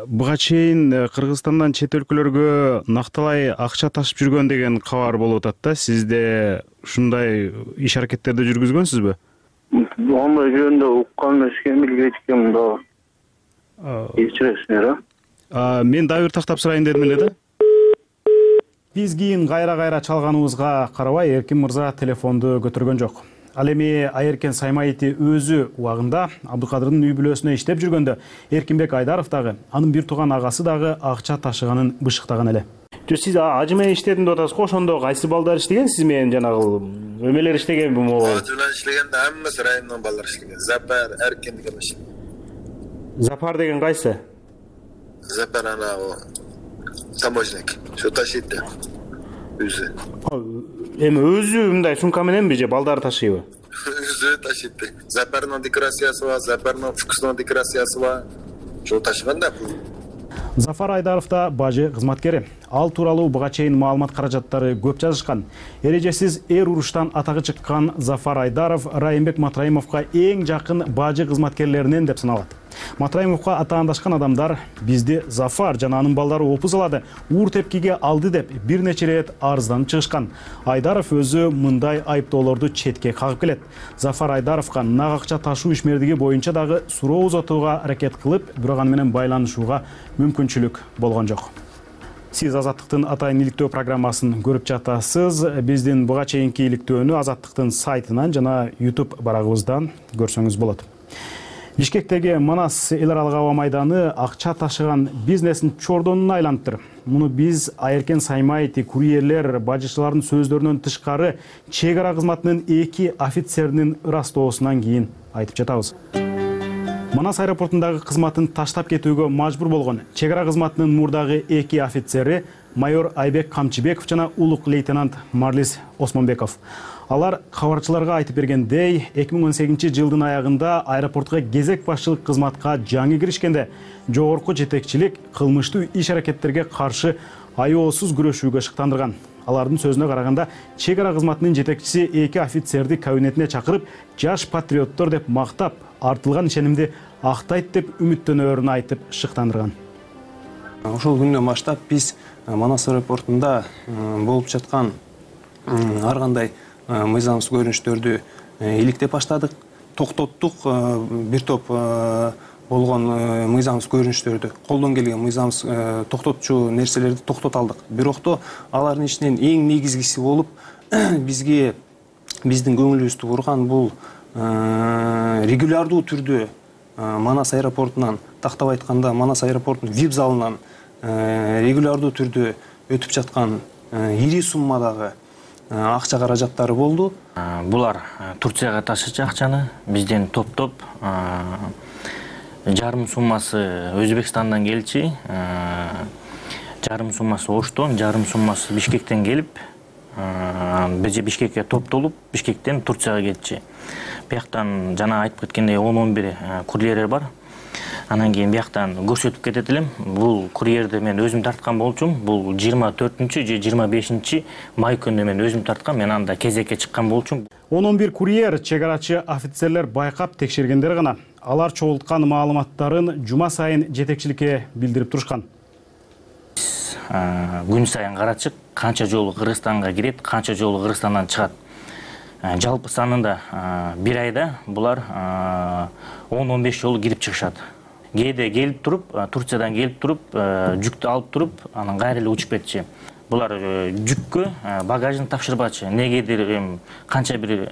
Буга чейин Кыргызстандан чет өлкөлөргө накталай акча ташып жүргөн деген кабар болуп атат да. Сизде ушундай иш аракеттерди жүргүзгөнсүзбү? Андай жөнүндө уккан эмеске билбейт экенмин да. Кечиресиңер, Мен дагы бир тактап сурайын дедим эле да. Биз кийин кайра чалганыбызга карабай Эркин мырза телефонду көтөргөн жок. Ал эми Айеркен Саймаити өзү убагында Абдыкадырдын үй бүлөсүнө иштеп жүргөндө Эркинбек Айдаров дагы, анын бир тууган агасы дагы акча ташыганын бышыктаган эле. Сиз ажы менен иштедим деп атасыз го, ошондо кайсы балдар иштеген? Сиз менен жанагы өмелер иштегенби могу? Ажы менен иштегенде хаммасы райондон балдар иштеген. Запар, Эркин деген иштеген. Запар деген кайсы? Запар анагы таможник. Şu ташыйт. Өзү. Эми өзү мындай сумка мененби же балдар ташыйбы? Өзү ташыйт. Запарнын декларациясы бар, Запарнын фукуснун декларациясы бар. Şu ташыганда. Зафар Айдаров да бажы кызматкери. Ал тууралуу буга чейин маалымат каражаттары көп жазышкан. Эрежесиз эр уруштан атагы чыккан Зафар Айдаров Райымбек Матраимовго эң жакын бажы кызматкерлеринен деп саналат. Матраимовго атаандашкан адамдар бизди Зафар жана анын балдары опуз алады, уур тепкиге алды деп бир нече ирет арызданып чыгышкан. Айдаров өзү мындай айыптоолорду четке кагып келет. Зафар Айдаровго нак акча ташуу ишмердиги боюнча дагы суроо узатууга аракет кылып, бирок аны менен байланышууга мүмкүнчүлүк болгон жок. Сиз Азаттыктын атайын иликтөө программасын көрүп жатасыз. Биздин буга чейинки иликтөөнү Азаттыктын сайтынан жана YouTube барагыбыздан көрсөңүз болот. Бишкектеги Манас эл аралык аба майданы акча ташыган бизнесин чордонуна айлантыр. Муну биз Айеркен Саймаити курьерлер бажычылардын сөздөрүнөн тышкары чек ара кызматынын 2 офицеринин ырастоосунан кийин айтып жатабыз. Манас аэропортундагы кызматын таштап кетүүгө мажбур болгон чек ара кызматынын мурдагы 2 офицери майор Айбек Камчыбеков жана улук лейтенант Марлис Осмонбеков. Алар кабарчыларга айтып бергендей, 2018 жылдын аягында аэропортко кезек башчылык кызматка жаңы киришкенде жогорку жетекчилик кылмыштуу иш аракеттерге каршы аеосуз күрөшүүгө шыктандырган. Алардын сөзүнө караганда, чек ара кызматынын жетекчиси 2 офицерди кабинетине чакырып, жаш патриоттор деп мактап, артылган ишенимди актайт деп үмүттөнөөрүн айтып шыктандырган. Ошол күндөн баштап биз Манас аэропортунда болуп жаткан ар кандай мыйзамсыз көрүнүштөрдү иликтеп баштадык, токтоттук. Бир топ болгон мыйзамсыз көрүнүштөрдү, колдон келген мыйзамсыз токтотчу нерселерди токтото алдык. Бирокто алардын ичинен эң негизгиси болуп биздин көңүлүбүздү бурган бул регулярдуу түрдө Манас аэропортунан, тактап айтканда Манас аэропортунун VIP залынан регулярдуу түрдө өтүп жаткан ири суммадагы акча каражаттары болду. Булар Турцияга ташычы акчаны бизден топтоп, жарым суммасы Өзбекстандан келчи, жарым суммасы Оштон, жарым суммасы Бишкектен келип, биз Бишкекке топтолуп, Бишкектен Турцияга кетчи. Бияктан жана айтып кеткендей 10-11 курьерлер бар. Анан кийин бияктан көрсөтүп кетет элем. Бул курьерди мен өзүм тарткан болчумун. Бул 24-же 25 май күнү мен өзүм тарткан. Мен анда кезекке чыккан болчумун. 11 курьер чек арачы офицерлер байкап текшергендер гана алар чогулткан маалыматтарын жума сайын жетекчиликке билдирип турушкан. Күн сайын карачык канча жолу Кыргызстанга кирет, канча жолу Кыргызстандан чыгат. Жалпы санында бир айда булар 10-15 жолу кирип чыгышат. Кээде келип туруп, Турциядан келип туруп, жүктү алып туруп, анан кайра эле учуп кетчи. булар жүккө багажын тапшырбачы. Негедир канча бир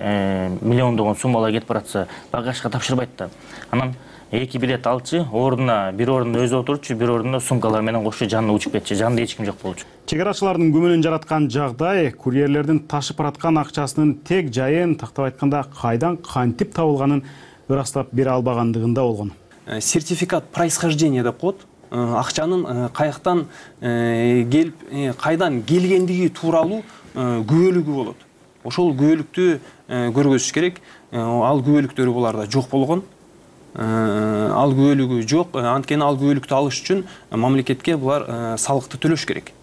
миллиондогон суммалар кетип баратса, багажга тапшырбайт да. Анан 2 билет алчы, ордуна бир ордунда өзү отурчу, бир ордунда сумкалар менен кошо жанына учуп кетчү. Жанында эч ким жок болчу. Чек арачылардын күмөнүн жараткан жагдай курьерлердин ташып бараткан акчасынын тег жайын, тактап айтканда, кайдан кантип табылганын ырастап бере албагандыгында болгон. Сертификат происхождения деп коет. Акчанын каяктан келип, кайдан келгендиги тууралуу күбөлүгү болот. Ошол күбөлүктү көргөзүш керек. Ал күбөлүктөрү буларда жок болгон. Ал күбөлүгү жок. Анткени ал күбөлүктү алыш үчүн мамлекетке булар салыкты төлөш керек.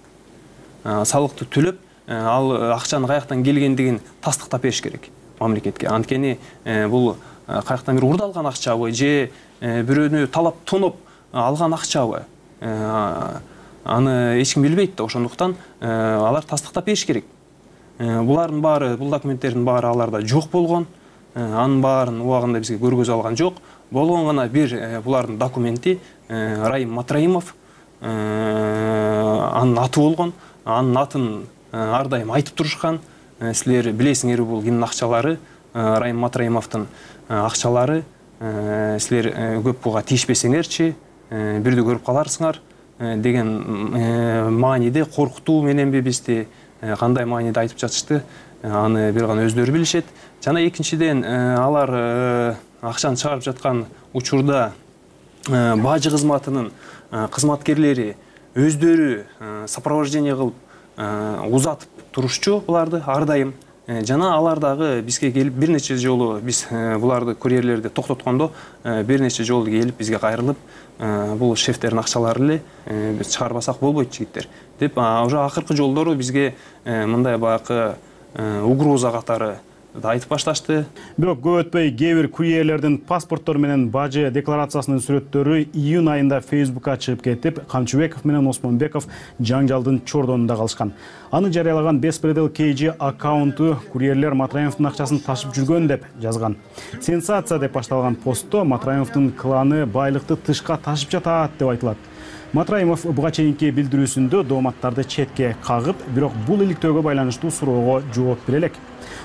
Салыкты төлөп, ал акчанын каяктан келгендигин тастыктап бериш керек мамлекетке. Анткени бул каяктан бир урдалган акчабы же бирөөнү талап тоноп алган акчабы, аны эч ким билбейт да. Ошондуктан алар тастыктап бериш керек. Булардын баары, бул документтердин баары аларда жок болгон. Анын баарын убагында бизге көргөзө алган жок. Болгон гана бир булардын документи Раим Матраимов, анын аты болгон. Анын атын ар дайым айтып турушкан. Силер билесиңер, бул кимдин акчалары, Раим Матраимовдун акчалары. Силер көп буга тийишпесеңерчи, бирди көрүп каларсыңар деген мааниде, коркутуу мененби бизди кандай мааниде айтып жатышты, аны бир гана өздөрү билишет. Жана экинчиден, алар акчаны чыгарып жаткан учурда бажы кызматынын кызматкерлери өздөрү сопровождение кылып узатып турушчу буларды ар дайым. Жана алар дагы бизге келип бир нече жолу, биз буларды курьерлерди токтоткондо бир нече жолу келип бизге кайрылып, бул шефтердин акчалары эле, биз чыгарбасак болбойт жигиттер деп, уже акыркы жолдору бизге мындай баягы угроза катары айтып башташты. Бирок көп өтпөй кээ бир курьерлердин паспорттору менен бажы декларациясынын сүрөттөрү июнь айында Facebook'ка чыгып кетип, Камчыбеков менен Осмонбеков жаңжалдын чордонунда калышкан. Аны жарыялаган Беспредел KG аккаунту курьерлер Матраимовдун акчасын ташып жүргөн деп жазган. Сенсация деп башталган постто Матраимовдун кланы байлыкты тышка ташып жатат деп айтылат. Матраимов буга чейинки билдирүүсүндө дооматтарды четке кагып, бирок бул иликтөөгө байланыштуу суроого жооп бере элек.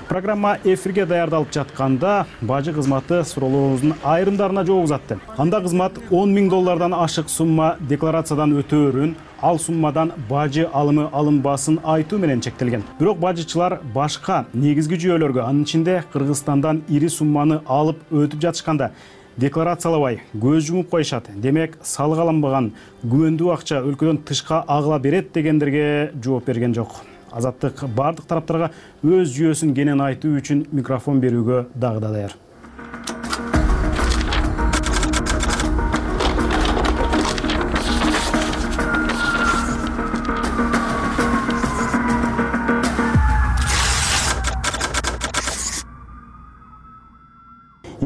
Программа эфирге даярдалып жатканда бажы кызматы суроолорубуздун айрымдарына жооп узатты. Анда кызмат $10,000 ашык сумма декларациядан өтөөрүн, ал суммадан бажы алымы алынбасын айтуу менен чектелген. Бирок бажычылар башка негизги жүйөлөргө, анын ичинде Кыргызстандан ири сумманы алып өтүп жатышканда декларациялабай көз жумуп коюшат. Демек, салык алынбаган күмөндүү акча өлкөдөн тышка агыла берет дегендерге жооп берген жок. Азаттык бардык тараптарга өз жүйөсүн кенен айтуу үчүн микрофон берүүгө дагы да даяр.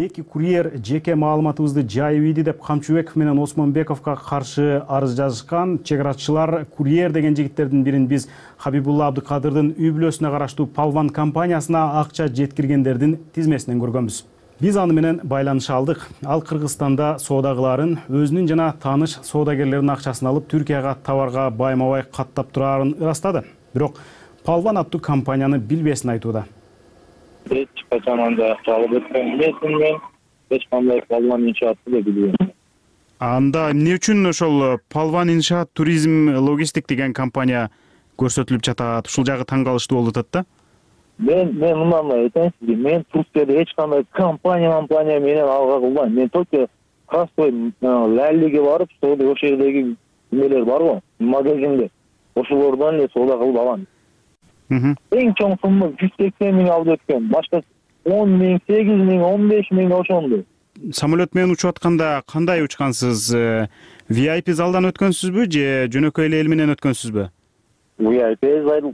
Эки курьер жеке маалыматыбызды жайып ийди деп Камчыбеков менен Осмонбековго каршы арыз жазышкан. Чек арачылар курьер деген жигиттердин бирин биз Хабибулла Абдыкадырдын үй бүлөсүнө караштуу Палван компаниясына акча жеткиргендердин тизмесинен көргөнбүз. Биз аны менен байланыша алдык. Ал Кыргызстанда соода кылаарын, өзүнүн жана тааныш соодагерлердин акчасын алып Түркияга товарга байма-бай каттап турарын ырастады. Бирок Палван аттуу компанияны билбесин айтууда. Эч качан андай акча алып өткөн эмесмин мен. Эч кандай Палван иншаатты да билбейм. Анда эмне үчүн ошол Палван иншаат туризм логистик деген компания көрсөтүлүп жатат? Ушул жагы таң калыштуу болуп атат да? Мен мындан айтайын сизге, мен Туркияда эч кандай компания менен алга кылбайм. Мен только простой лаллиге барып, ошол жердеги эмелер барбы? Магазинде. Ошолордон эле соода кылып алам. Эң чоң сумма 180 миң алып өткөн. Башка 10 миң, 8 миң, 15 миң ошондой. Самолет менен учуп атканда кандай учкансыз? VIP залдан өткөнсүзбү же жөнөкөй эле эл менен өткөнсүзбү? VIP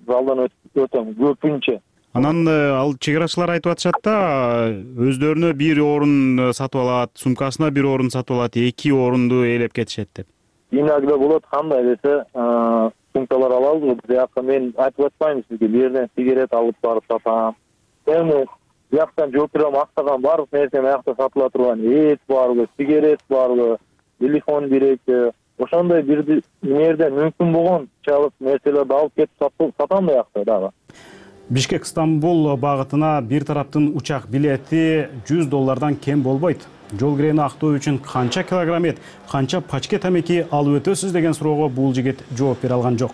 залдан өтөм көпүнчө. Анан ал чек арачылар айтып атышат да, өздөрүнө бир орун сатып алат, сумкасына бир орун сатып алат, 2 орунду ээлеп кетишет деп. Иногда болот, кандай десе, сумкалар алабыз, бирок мен айтып атпайм сизге, бир жерден сигарет алып барып сатам. Эми бияктан жооп берем, актаган баардык нерсе биякта сатыла турган, эт барбы, сигарет барбы, телефон керекпи, ошондой бир эмерден мүмкүн болгонча алып нерселерди алып кетип сатам биякта дагы. Бишкек-Стамбул багытына бир тараптын учак билети $100 кем болбойт. Жол кирени актоо үчүн канча килограмм эт, канча пачке тамеки алып өтөсүз деген суроого бул жигит жооп бере алган жок.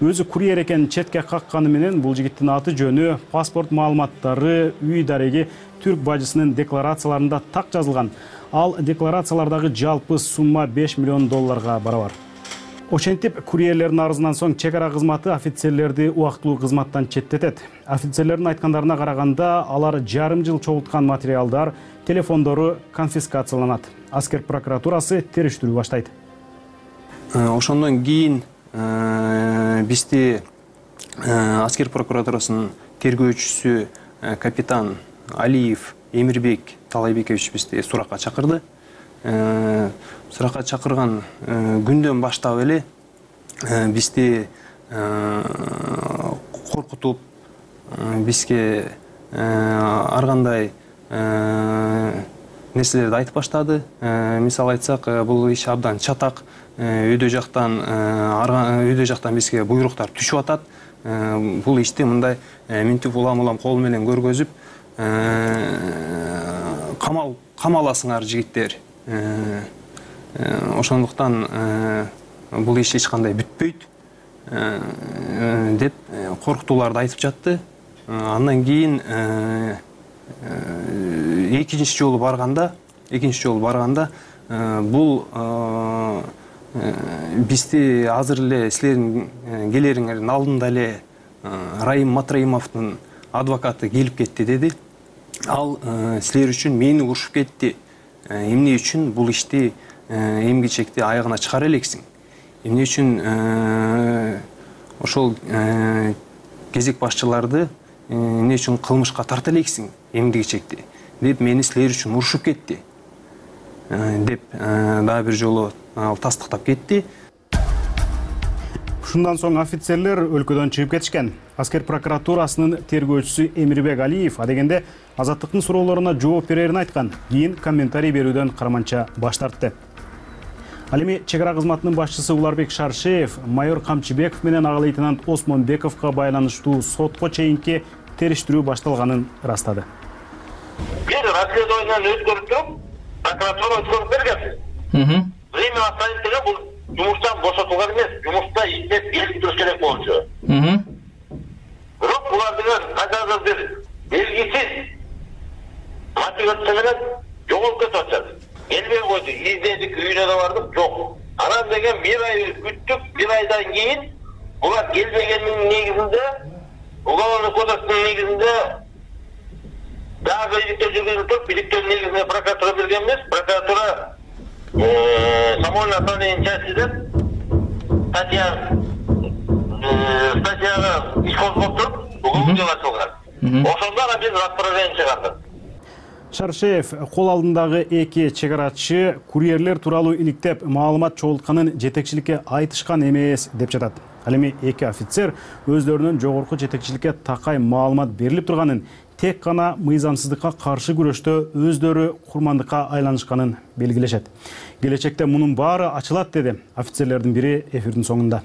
Өзү курьер экен четке какканы менен бул жигиттин аты жөнү, паспорт маалыматтары, үй дареги түрк бажысынын декларацияларында так жазылган. Ал декларациялардагы жалпы сумма $5 миллион барабар. Ошентип, курьерлердин арызынан соң чек ара кызматы офицерлерди убактылуу кызматтан четтетет. Офицерлердин айткандарына караганда, алар жарым жыл чогулткан материалдар, телефондору конфискацияланат. Аскер прокуратурасы териштирүү баштайт. Ошондон кийин бизди Аскер прокуратурасынын тергөөчүсү капитан Алиев Эмирбек Талайбекович бизди суракка чакырды. Суракка чакырган күндөн баштап эле бизди коркутуп, бизге ар кандай нерселерди айтып баштады. Мисалы айтсак, бул иш абдан чатак, үйдө жактан бизге буйруктар түшүп атат. Бул ишти мындай минтип улам кол менен көргөзүп, камаласыңар жигиттер. Ошондуктан бул иш эч кандай бүтпөйт деп коркутууларды айтып жатты. Андан кийин экинчи жолу барганда бул бизди азыр эле силердин келериңердин алдында эле Раим Матраимовдун адвокаты келип кетти деди. Ал силер үчүн мени урушуп кетти. Эмне үчүн бул ишти эмгичекти аягына чыгара элексиң? Эмне үчүн ошол кезек башчыларды эмне үчүн кылмышка тарта элексиң эмгичекти деп мени силер үчүн урушуп кетти деп дагы бир жолу ал тастыктап кетти. Ушундан соң офицерлер өлкөдөн чыгып кетишкен. Аскер прокуратурасынын тергөөчүсү Эмирбек Алиев адегенде Азаттыктын суроолоруна жооп берерин айткан. Кийин комментарий берүүдөн карманча баш тартты. Ал эми чек ара кызматынын башчысы Уларбек Шаршеев майор Камчыбеков менен ага лейтенант Осмонбековго байланыштуу сотко чейинки териштирүү башталганын ырастады. Бир расследованияны өткөрүп туруп, прокуратура өткөрүп бергенбиз. Время оставить деген бул жумуштан бошотулган эмес, жумушта иштеп келип туруш керек болчу. Бирок булар деген кайдагы бир белгисиз мотивация менен жоголуп кетип атышат. Келбей койду, издедик, үйүнө да бардык, жок. Анан деген бир ай күттүк, бир айдан кийин булар келбегендин негизинде, уголовный кодекстин негизинде дагы иликтөө жүргүзүлүп туруп, иликтөөнүн негизинде прокуратура берген эмес, прокуратура самоольное отправление части деп статьяга иш козгоп туруп, уголовный дело ачылган. Ошондо биз распоряжение чыгардык. Шаршеев кол алдындагы эки чегарачы курьерлер тууралуу иликтеп маалымат чогултканын жетекчиликке айтышкан эмес деп жатат. Ал эми эки офицер өздөрүнүн жогорку жетекчиликке такай маалымат берилип турганын, тек гана мыйзамсыздыкка каршы күрөштө өздөрү курмандыкка айланышканын белгилешет. Келечекте мунун баары ачылат деди офицерлердин бири эфирдин соңунда.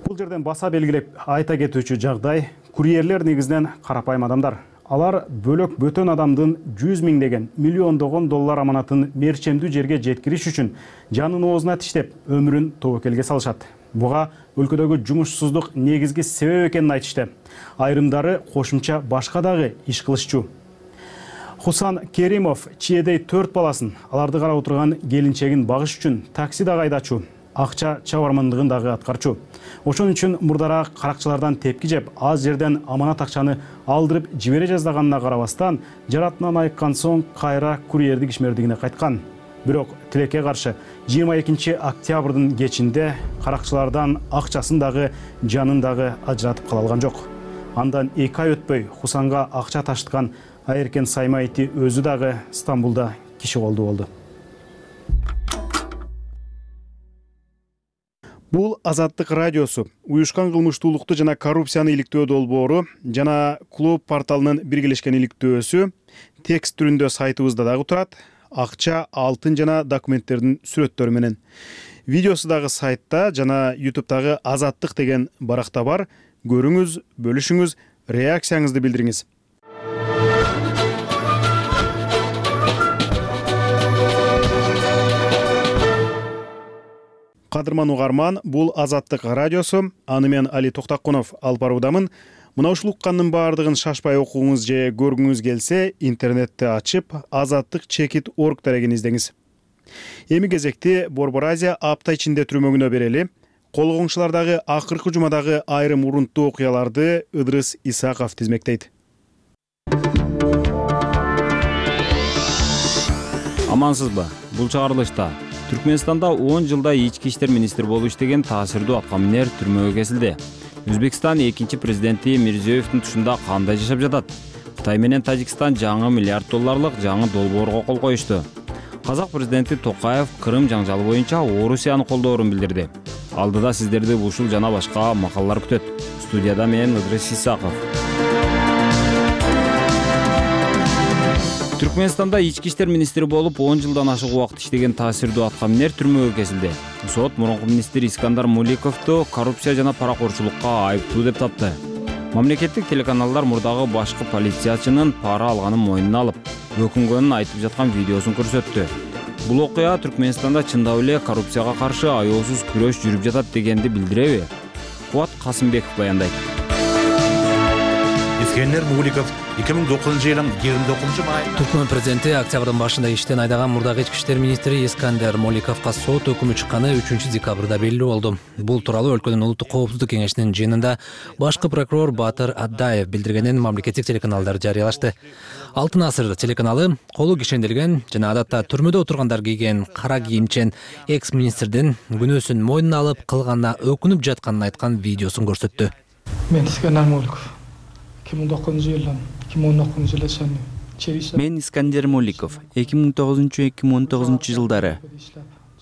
Бул жерден баса белгилеп айта кетүүчү жагдай, курьерлер негизинен карапайым адамдар. Алар бөлөк бөтөн адамдын 100 миңдеген, миллиондогон доллар аманатын мерчемдүү жерге жеткириш үчүн жанын оозуна тиштеп, өмүрүн тобокелге салышат. Буга өлкөдөгү жумушсуздук негизги себеп экенин айтышты. Айрымдары кошумча башка дагы иш кылышчу. Хусан Керимов чиедей 4 баласын, аларды карап отурган келинчегин багыш үчүн таксида айдачу, акча чабармандыгын дагы аткарчу. Ошон үчүн мурдараак каракчылардан тепки жеп, аз жерден аманат акчаны алдырып жибере жаздаганына карабастан, жаратынан айыккан соң кайра курьердик ишмердигине кайткан. Бирок тилекке каршы 22 октябрдын кечинде каракчылардан акчасын дагы, жанын дагы ажыратып кала алган жок. Андан 2 ай өтпөй Хусанга акча таштыган Айеркен Саймайти өзү дагы Стамбулда киши колду болду. Бул Азаттык радиосу, уюшкан кылмыштуулукту жана коррупцияны иликтөө долбоору жана Клуб порталынын биргелешкен иликтөөсү текст түрүндө сайтыбызда дагы турат. Акча, алтын жана документтердин сүрөттөрү менен. Видеосу дагы сайтта жана YouTube'дагы Азаттык деген баракта бар. Көрүңүз, бөлүшүңүз, реакцияңызды билдириңиз. Кадырман угарман, бул Азаттык радиосу. Аны мен Али Токтакунов алып баруудамын. Мына ушул уккандын баардыгын шашпай окугуңуз же көргүңүз келсе, интернетти ачып, azattik.org дарегин издеңиз. Эми кезекти Борбор Азия апта ичинде түрмөгүнө берели. Кол коңшулардагы акыркы жумадагы айрым урунттуу окуяларды Ыдрыс Исаков тизмектейт. Амансызбы? Бул чыгарылышта Түркменстанда 10 жылда ички иштер министри болуп иштеген таасирдүү аткаминер түрмөгө кесилди. Өзбекстан экинчи президенти Мирзиёевдин тушунда кандай жашап жатат? Кытай менен Тажикстан жаңы $1 миллиард жаңы долбоорго кол коюшту. Казак президенти Токаев Крым жаңжалы боюнча Орусияны колдоорун билдирди. Алдыда сиздерди ушул жана башка макалалар күтөт. Студияда мен Ыдрыс Исаков. Түркменстанда ички иштер министри болуп 10 жылдан ашык убакыт иштеген таасирдүү аткаминер түрмөгө кесилди. Сот мурунку министр Искандар Муликовду коррупция жана паракорчулукка айыптуу деп тапты. Мамлекеттик телеканалдар мурдагы башкы полициячынын пара алганын мойнуна алып, өкүнгөнүн айтып жаткан видеосун көрсөттү. Бул окуя Түркменстанда чындап эле коррупцияга каршы аеосуз күрөш жүрүп жатат дегенди билдиреби? Кубат Касымбеков баяндайт. Искандар Муликов 2009-жылдын 29 Түркмөн президенти октябрдын башында иштен айдаган мурдагы ички иштер министри Искандар Моликовго сот өкүмү чыкканы 3-декабрда белгилүү болду. Бул тууралуу өлкөнүн улуттук коопсуздук кеңешинин жыйынында башкы прокурор Батыр Аддаев билдиргенин мамлекеттик телеканалдар жарыялашты. Алтын асыр телеканалы колу кишенделген жана адатта түрмөдө отургандар кийген кара кийимчен экс-министрдин күнөөсүн мойнуна алып кылганына өкүнүп жатканын айткан видеосун көрсөттү. Мен Искандар Моликов 2009-жылдан 2019-жылга Мен Искандар Моликов 2009-2019 жылдары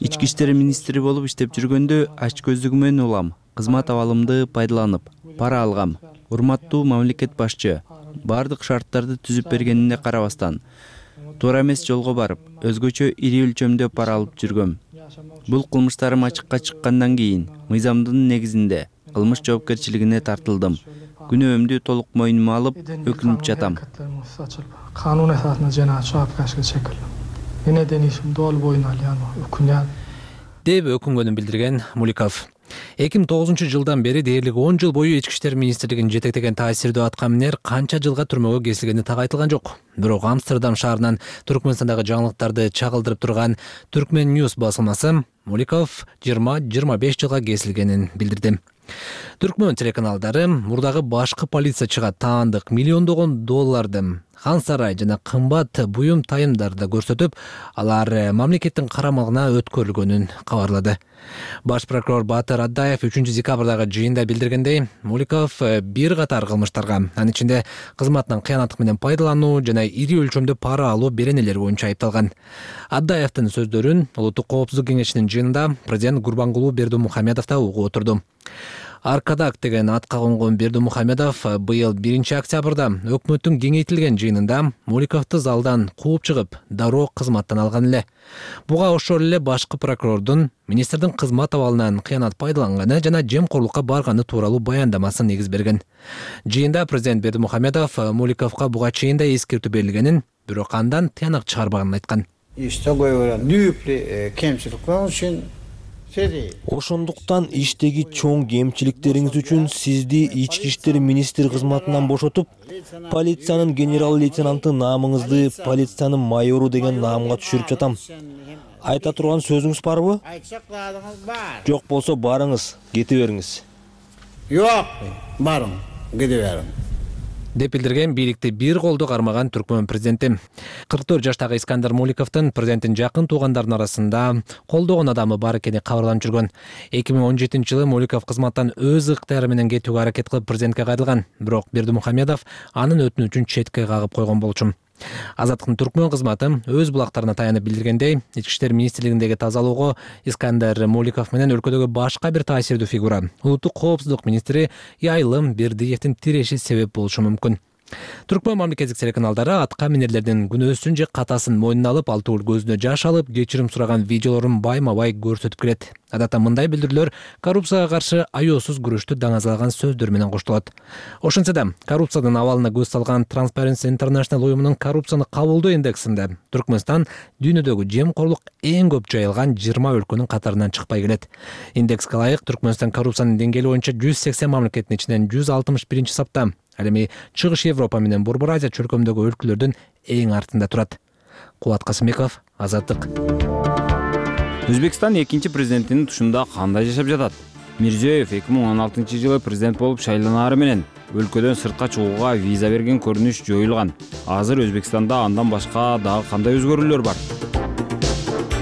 ички иштер министри болуп иштеп жүргөндө ач көздүгүмөн улам, кызмат абалымды пайдаланып, пара алгам. Урматтуу мамлекет башчы бардык шарттарды түзүп бергенине карабастан, туура эмес жолго барып, өзгөчө ири өлчөмдө пара алып жүргөм. Бул кылмыштарым ачыкка чыккандан кийин мыйзамдын негизинде кылмыш жоопкерчилигине тартылдым. Күнөөмдү толук мойнума алып, өкүнүп жатам. Канун эсасында жана жоопкерчиликке чекилди. Эне денишим дол боюна өкүнөт деп өкүнгөнүн билдирген Муликов. 2009 жылдан бери дээрлик 10 жыл бою ички иштер министрлигин жетектеген таасирдүү аткаминер канча жылга түрмөгө кесилгени так айтылган жок. Бирок Амстердам шаарынан Түркмөнстандагы жаңылыктарды чагылдырып турган Түркмен News басылмасы Муликов 20-25 жылга кесилгенин билдирди. Түркмөн телеканалдары мурдагы башкы полициячыга таандык миллиондогон долларды, хан сарай жана кымбат буюм тайымдарды көрсөтүп, алар мамлекеттин карамагына өткөрүлгөнүн кабарлады. Баш прокурор Батыр Аддаев 3-декабрдагы жыйында билдиргендей, Муликов бир катар кылмыштарга, анын ичинде кызматынан кыянаттык менен пайдалануу жана ири өлчөмдө пара алуу беренелери боюнча айыпталган. Аддаевдин сөздөрүн Улуттук коопсуздук кеңешинин жыйынында президент Гурбангулуу Бердимухамедов да угуп отурду. Аркадак деген атка конгон Бердимухамедов быйыл 1-октябрда өкмөттүн кеңейтилген жыйынында Муликовду залдан кууп чыгып, дароо кызматтан алган эле. Буга ошол эле башкы прокурордун министрдин кызмат абалынан кыянат пайдаланганы жана жемкорлукка барганы тууралуу баяндамасын негиз берген. Жыйында президент Бердимухамедов Муликовго буга чейин да эскертүү берилгенин, бирок андан тыянак чыгарбаганын айткан. Ошондуктан иштеги чоң кемчиликтериңиз үчүн сизди ички иштер министри кызматынан бошотуп, полициянын генерал-лейтенанты наамыңызды полициянын майору деген наамга түшүрүп жатам. Айта турган сөзүңүз барбы? Жок болсо барыңыз, кете бериңиз. Жок, барың, кете бериң. деп билдирген бийликти бир колдо кармаган Түркмөн президенти. 44 жаштагы Искандар Муликовдун президенттин жакын туугандарынын арасында колдогон адамы бар экени кабарланып жүргөн. 2017-жылы Муликов кызматтан өз ыктыяры менен кетүүгө аракет кылып президентке кайрылган, бирок Бердимухамедов анын өтүнүчүн четке кагып койгон болчу. Азаттыктын түркмөн кызматы өз булактарына таянып билдиргендей, Ички иштер министрлигиндеги тазалоого Искандер Моликов менен өлкөдөгү башка бир таасирдүү фигура, улуттук коопсуздук министри Яйлым Бердиевдин тиреши себеп болушу мүмкүн. Түркмөн мамлекеттик телеканалдары атка минерлердин күнөөсүн же катасын мойнуна алып, ал түгүл көзүнө жаш алып, кечирим сураган видеолорун байма-бай көрсөтүп келет. Адатта мындай билдирүүлөр коррупцияга каршы аеосуз күрөштү даңазалаган сөздөр менен коштолот. Ошентсе да, коррупциянын абалына көз салган Transparency International уюмунун коррупцияны кабылдоо индексинде Түркмөнстан дүйнөдөгү жемкорлук эң көп жайылган 20 өлкөнүн катарынан чыкпай келет. Индекске ылайык Түркмөнстан коррупциянын деңгээли боюнча 180 мамлекеттин ичинен 161 сапта. Ал эми Чыгыш Европа менен Борбор Азия чөлкөмүндөгү өлкөлөрдүн эң артында турат. Кубат Касымбеков, Азаттык. Өзбекстан экинчи президентинин тушунда кандай жашап жатат? Мирзиёев 2016-жылы президент болуп шайланары менен өлкөдөн сыртка чыгууга виза берген көрүнүш жоюлган. Азыр Өзбекстанда андан башка дагы кандай өзгөрүүлөр бар?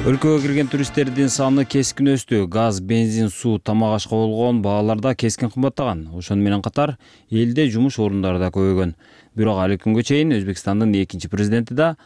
Өлкөгө кирген туристтердин саны кескин өстү. Газ, бензин, суу, тамак ашка болгон бааларда кескин кымбаттаган. Ошону менен катар элде жумуш орундары да көбөйгөн. Бирок али күнгө чейин Өзбекстандын экинчи президенти да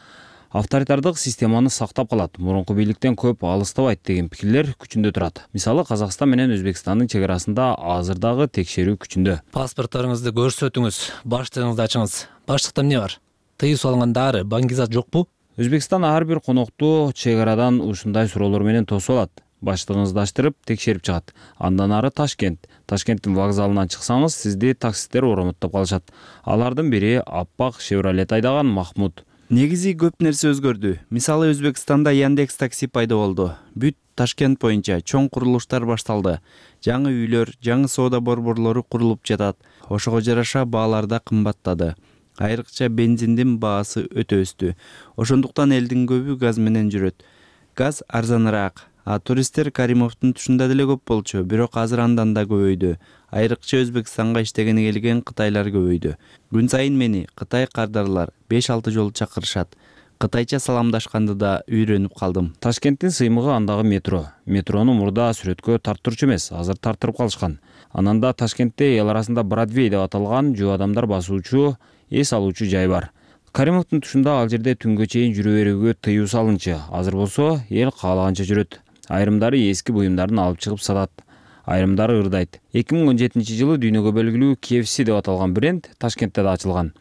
авторитардык системаны сактап калат, мурунку бийликтен көп алыстабайт деген пикирлер күчүндө турат. Мисалы, Казакстан менен Өзбекстандын чек арасында азыр дагы текшерүү күчүндө. Паспортторуңузду көрсөтүңүз, баштыгыңызды ачыңыз. Баштыкта эмне бар? Тыюу салынган дары, баңгизат жокпу? Өзбекстан ар бир конокту чек арадан ушундай суроолор менен тосуп алат. Баштыгыңызды аштырып, текшерип чыгат. Андан ары Ташкент. Ташкенттин вокзалынан чыксаңыз, сизди таксисттер оромоттоп калышат. Алардын бири аппак Chevrolet айдаган Махмуд. Негизи көп нерсе өзгөрдү. Мисалы, Өзбекстанда Яндекс такси пайда болду. Бүт Ташкент боюнча чоң курулуштар башталды. Жаңы үйлөр, жаңы соода борборлору курулуп жатат. Ошого жараша баалар да кымбаттады. Айрыкча бензиндин баасы өтө өстү. Ошондуктан элдин көбү газ менен жүрөт. Газ арзаныраак. Туристтер Каримовдун тушунда деле көп болчу, бирок азыр андан да көбөйдү. Айрыкча Өзбекстанга иштегени келген кытайлар көбөйдү. Күн сайын мени Кытай кардарлар 5-6 жолу чакырышат. Кытайча саламдашканды да үйрөнүп калдым. Ташкенттин сыймыгы андагы метро. Метрону мурда сүрөткө тарттырчу эмес, азыр тарттырып калышкан. Анан да Ташкентте эл арасында Бродвей деп аталган жөө адамдар басуучу, эс алуучу жай бар. Каримовдун тушунда ал жерде түнгө чейин жүрө берүүгө тыюу салынчы. Азыр болсо эл каалаганча жүрөт. Айрымдары эски буюмдарын алып чыгып сатат, айрымдары ырдайт. 2017-жылы дүйнөгө белгилүү KFC деп аталган бренд Ташкентте да ачылган.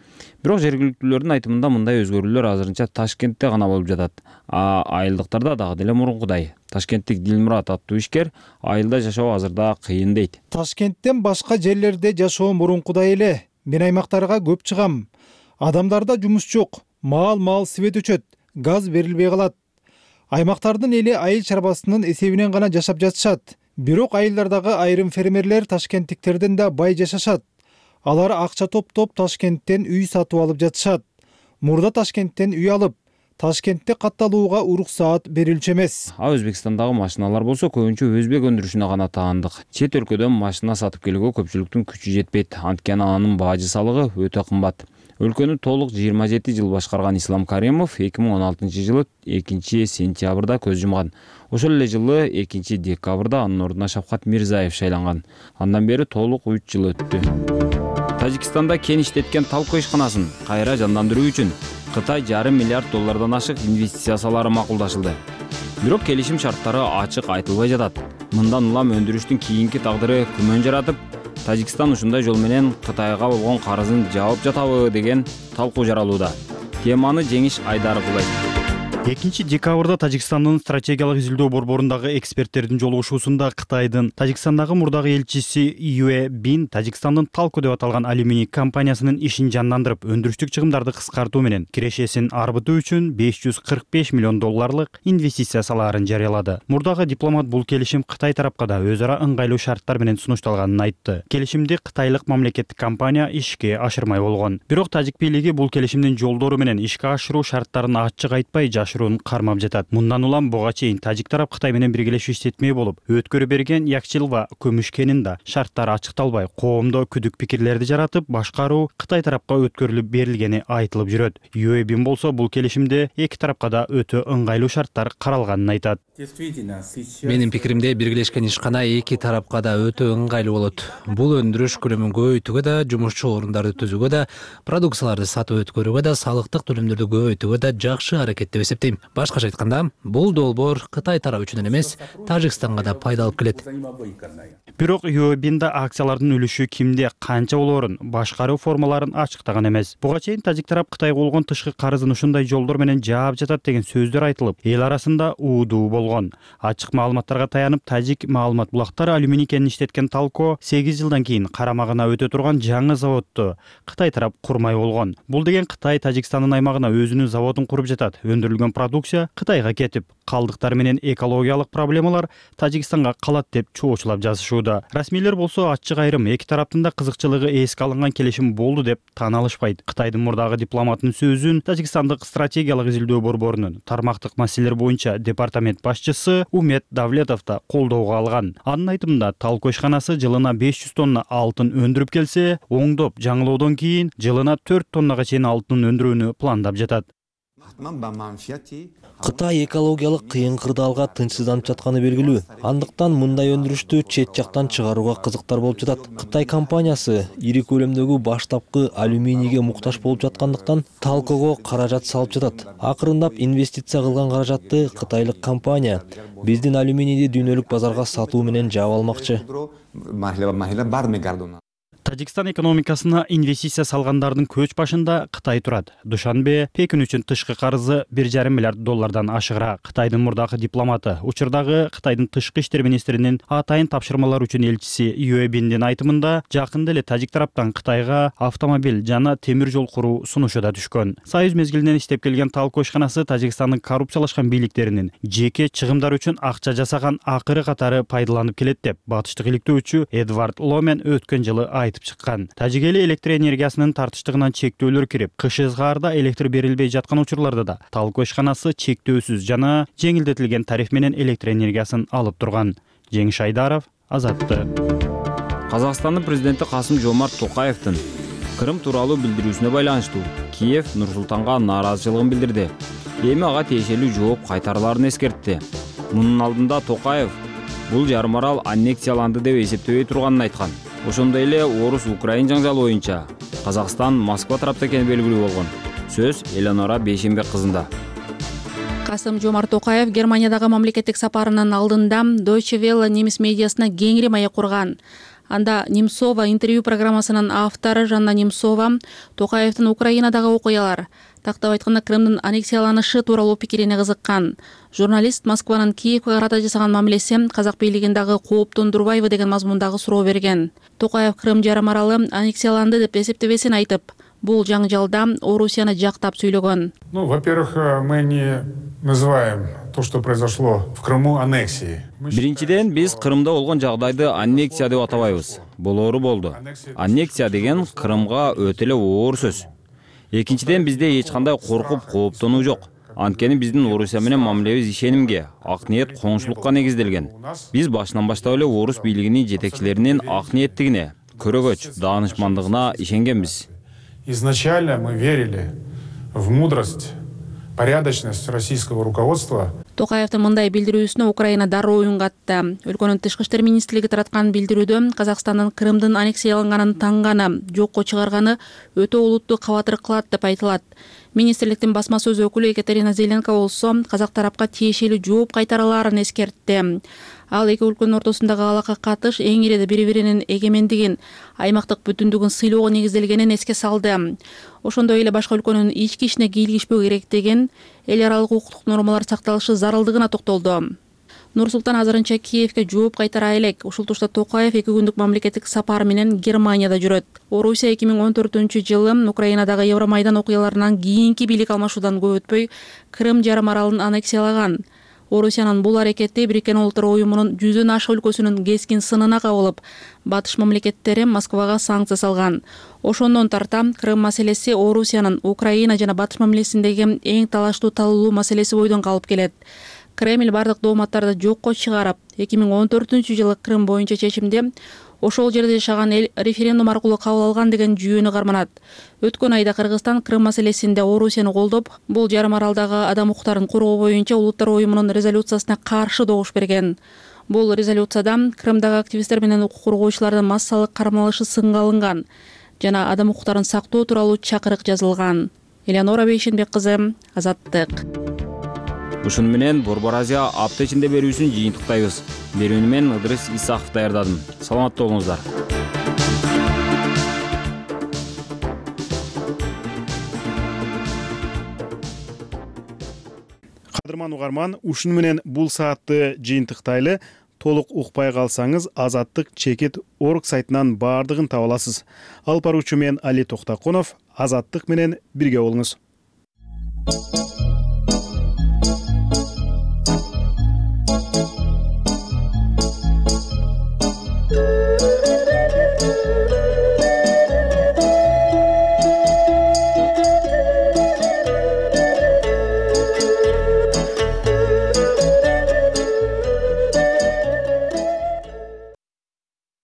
Бирок жергиликтүүлөрдүн айтымында мындай өзгөрүүлөр азырынча Ташкентте гана болуп жатат. Айылдыктарда дагы деле мурункудай. Ташкенттик Дилмурат аттуу ишкер айылда жашоо азырда кыйын дейт. Ташкенттен башка жерлерде жашоо мурункудай эле. Мен аймактарга көп чыгам. Адамдарда жумуш жок, маал свет өчөт, газ берилбей калат. Аймактардын эли айыл чарбасынын эсебинен гана жашап жатышат. Бирок айылдардагы айрым фермерлер ташкенттиктерден да бай жашашат. Алар акча топтоп Ташкенттен үй сатып алып жатышат. Мурда Ташкенттен үй алып, Ташкентте катталууга уруксаат берилчү эмес. Өзбекстандагы машиналар болсо көбүнчө өзбек өндүрүшүнө гана таандык. Чет өлкөдөн машина сатып келүүгө көпчүлүктүн күчү жетпейт. Анткени анын бажы салыгы өтө кымбат. Өлкөнү толук 27 жыл башкарган Ислам Каримов 2016-жылы 2-сентябрда көз жумган. Ошол эле жылы 2-декабрда анын ордуна Шавкат Мирзаев шайланган. Андан бери толук 3 жыл өттү. Тажикстанда кен иштеткен талко ишканасын кайра жандандыруу үчүн Кытай $500 миллиард ашык инвестиция салары макулдашылды. Бирок келишим шарттары ачык айтылбай жатат. Мындан улам өндүрүштүн кийинки тагдыры күмөн жаратып, Тажикстан ушундай жол менен Кытайга болгон карызын жаап жатабы деген талкуу жаралууда. Теманы Жеңиш Айдаров улайт. 2-декабрда Тажикстандын стратегиялык изилдөө борборундагы эксперттердин жолугушуусунда Кытайдын Тажикстандагы мурдагы элчиси Юэ Бин Тажикстандын Талко деп аталган алюминий компаниясынын ишин жандандырып, өндүрүштүк чыгымдарды кыскартуу менен кирешесин арбытуу үчүн $545 миллион инвестиция салаарын жарыялады. Мурдагы дипломат бул келишим Кытай тарапка да өз ара ыңгайлуу шарттар менен сунушталганын айтты. Келишимди кытайлык мамлекеттик компания ишке ашырмай болгон. Бирок тажик бийлиги бул келишимдин жолдору менен ишке ашыруу шарттарын ачык айтпай ашыруун кармап жатат. Мындан улам буга чейин тажик тарап Кытай менен биргелешип иштетмей болуп, өткөрү берген Якчилва көмүш кенинде шарттар ачыкталбай, коомдо күдүк пикирлерди жаратып, башкаруу Кытай тарапка өткөрүлүп берилгени айтылып жүрөт. ЮЭБин болсо бул келишимде эки тарапка да өтө ыңгайлуу шарттар каралганын айтат. Менин пикиримде биргелешкен ишкана эки тарапка да өтө ыңгайлуу болот. Бул өндүрүш көлөмүн көбөйтүүгө да, жумушчу орундарды түзүүгө да, продукцияларды сатып өткөрүүгө да, салыктык төлөмдөрдү көбөйтүүгө да жакшы аракет деп эсептейм. Башкача айтканда, бул долбоор Кытай тарабы үчүн эмес, Тажикстанга да пайда алып келет. Бирок ЮЭБинде акциялардын үлүшү кимде канча болоорун, башкаруу формаларын ачыктаган эмес. Буга чейин тажик тарап Кытайга болгон тышкы карызын ушундай жолдор менен жаап жатат деген сөздөр айтылып, эл арасында уудуу болгон. Ачык маалыматтарга таянып, тажик маалымат булактар алюминий кенин иштеткен Талко 8 жылдан кийин карамагына өтө турган жаңы заводду Кытай тарап курмай болгон. Бул деген Кытай Тажикстандын аймагына өзүнүн заводун куруп жатат. Өндүрүлгөн продукция Кытайга кетип, калдыктар менен экологиялык проблемалар Тажикстанга калат деп чоочулап жазышууда. Расмийлер болсо ачык айрым эки тараптын да кызыкчылыгы эске алынган келишим болду деп таан алышпайт. Кытайдын мурдагы дипломатынын сөзүн Тажикстандык стратегиялык изилдөө борборунун тармактык маселелер боюнча департамент башчысы Умет Давлетов да колдоого алган. Анын айтымында Талко ишканасы жылына 500 тонна алтын өндүрүп келсе, оңдоп жаңылоодон кийин жылына 4 тоннага чейин алтын өндүрүүнү пландап жатат. Кытай экологиялык кыйын кырдаалга тынчсызданып жатканы белгилүү. Андыктан мындай өндүрүштү чет жактан чыгарууга кызыктар болуп жатат. Кытай компаниясы ири көлөмдөгү баштапкы алюминийге муктаж болуп жаткандыктан Талкого каражат салып жатат. Акырындап инвестиция кылган каражатты кытайлык компания биздин алюминийди дүйнөлүк базарга сатуу менен жаап алмакчы. Тажикстан экономикасына инвестиция салгандардын көч башында Кытай турат. Душанбе Пекин үчүн тышкы карызы 1,5 миллиард доллардан ашыгыраак. Кытайдын мурдагы дипломаты, учурдагы Кытайдын тышкы иштер министринин атайын тапшырмалар үчүн элчиси ЮЭБиндин айтымында, жакында эле тажик тараптан Кытайга автомобиль жана темир жол куруу сунушу да түшкөн. Союз мезгилинен иштеп келген Талко ишканасы Тажикстандын коррупциялашкан бийликтеринин жеке чыгымдар үчүн акча жасаган акыры катары пайдаланып келет деп батыштык иликтөөчү Эдвард Ломен өткөн жылы айтып чыккан. Тажик эли электр энергиясынын тартыштыгынан чектөөлөр кирип, кыш ызгаарда электр берилбей жаткан учурларда да Талко ишканасы чектөөсүз жана жеңилдетилген тариф менен электр энергиясын алып турган. Жеңиш Айдаров, Азаттык. Казакстандын президенти Касым-Жомарт Токаевдин Крым тууралуу билдирүүсүнө байланыштуу Киев Нур-Султанга нааразычылыгын билдирди. Эми ага тиешелүү жооп кайтарыларын эскертти. Мунун алдында Токаев бул жарым арал аннексияланды деп эсептебей турганын айткан. Ошондой эле Орус-Украин жаңжалы боюнча Казакстан Москва тарапта экени белгилүү болгон. Сөз Эленора Бейшембек кызында. Касым-Жомарт Токаев Германиядагы мамлекеттик сапарынын алдында Deutsche Welle немис медиасына кеңири маек курган. Анда Немцова интервью программасынын автору Жанна Немцова Токаевдин Украинадагы окуялар, тактап айтканда Крымдын аннексияланышы тууралуу пикирине кызыккан. Журналист Москванын Киевге карата жасаган мамилеси казак бийлигин дагы кооптондурбайбы деген мазмундагы суроо берген. Токаев Крым жарым аралы аннексияланды деп эсептебесин айтып, бул жаңжалда Орусияны жактап сүйлөгөн. Во-первых, мы не называем то, что произошло в Крыму, аннексией. Биринчиден, биз Крымда болгон жагдайды аннексия деп атабайбыз. Болоору болду. Аннексия деген Крымга өтө эле оор сөз. Экинчиден, бизде эч кандай коркуп, кооптонуу жок. Анткени биздин Орусия менен мамилебиз ишенимге, ак ниет, коңшулукка негизделген. Биз башынан баштап эле орус бийлигинин жетекчилеринин ак ниеттигине, көрөгөч, даанышмандыгына ишенгенбиз. Изначально мы верили в мудрость, порядочность российского руководства. Токаевдин мындай билдирүүсүнө Украина дароо үн катты. Өлкөнүн тышкы иштер министрлиги тараткан билдирүүдө Казакстандын Крымдын аннексияланганын таңганы, жокко чыгарганы өтө олуттуу кабатыр кылат деп айтылат. Министрликтин басма сөз өкүлү Екатерина Зеленко болсо казак тарапка тиешелүү жооп кайтарылаарын эскертти. Ал эки өлкөнүн ортосундагы алака катыш эң ириде бири-биринин эгемендигин, аймактык бүтүндүгүн сыйлоого негизделгенин эске салды. Ошондой эле башка өлкөнүн ички ишине кийлигишпөө керектигин, эл аралык укуктук нормалар сакталышы зарылдыгына токтолду. Нур-Султан азырынча Киевге жооп кайтара элек. Ушул тушта Токаев 2 күндүк мамлекеттик сапар менен Германияда жүрөт. Орусия 2014-жылы Украинадагы Евромайдан окуяларынан кийинки бийлик алмашуудан көп өтпөй Крым жарым аралын аннексиялаган. Орусиянын бул аракети Бириккен Улуттар Уюмунун 100дөн ашык өлкөсүнүн кескин сынына кабылып, батыш мамлекеттери Москвага санкция салган. Ошондон тарта Крым маселеси Орусиянын Украина жана батыш мамилесиндеги эң талаштуу талуулуу маселеси бойдон калып келет. Кремль бардык дооматтарды жокко чыгарып, 2014-жылы Крым боюнча чечимди ошол жерде жашаган эл референдум аркылуу кабыл алган деген жүйөнү карманат. Өткөн айда Кыргызстан Крым маселесинде Орусияны колдоп, бул жарым аралдагы адам укуктарын коргоо боюнча Улуттар Уюмунун резолюциясына каршы добуш берген. Бул резолюцияда Крымдагы активисттер менен укук коргоочулардын массалык кармалышы сынга алынган жана адам укуктарын сактоо тууралуу чакырык жазылган. Элеонора Бейшенбек кызы, Азаттык. Ушуну менен Борбор Азия апта ичинде берүүсүн жыйынтыктайбыз. Берүүнү мен Ыдырыс Исаков даярдадым. Саламатта болуңуздар. Кадырман угарман, ушуну менен бул саатты жыйынтыктайлы. Толук укпай калсаңыз Азаттык чекит орг сайтынан баардыгын таба аласыз. Алып баруучу мен Али Токтакунов. Азаттык менен бирге болуңуз.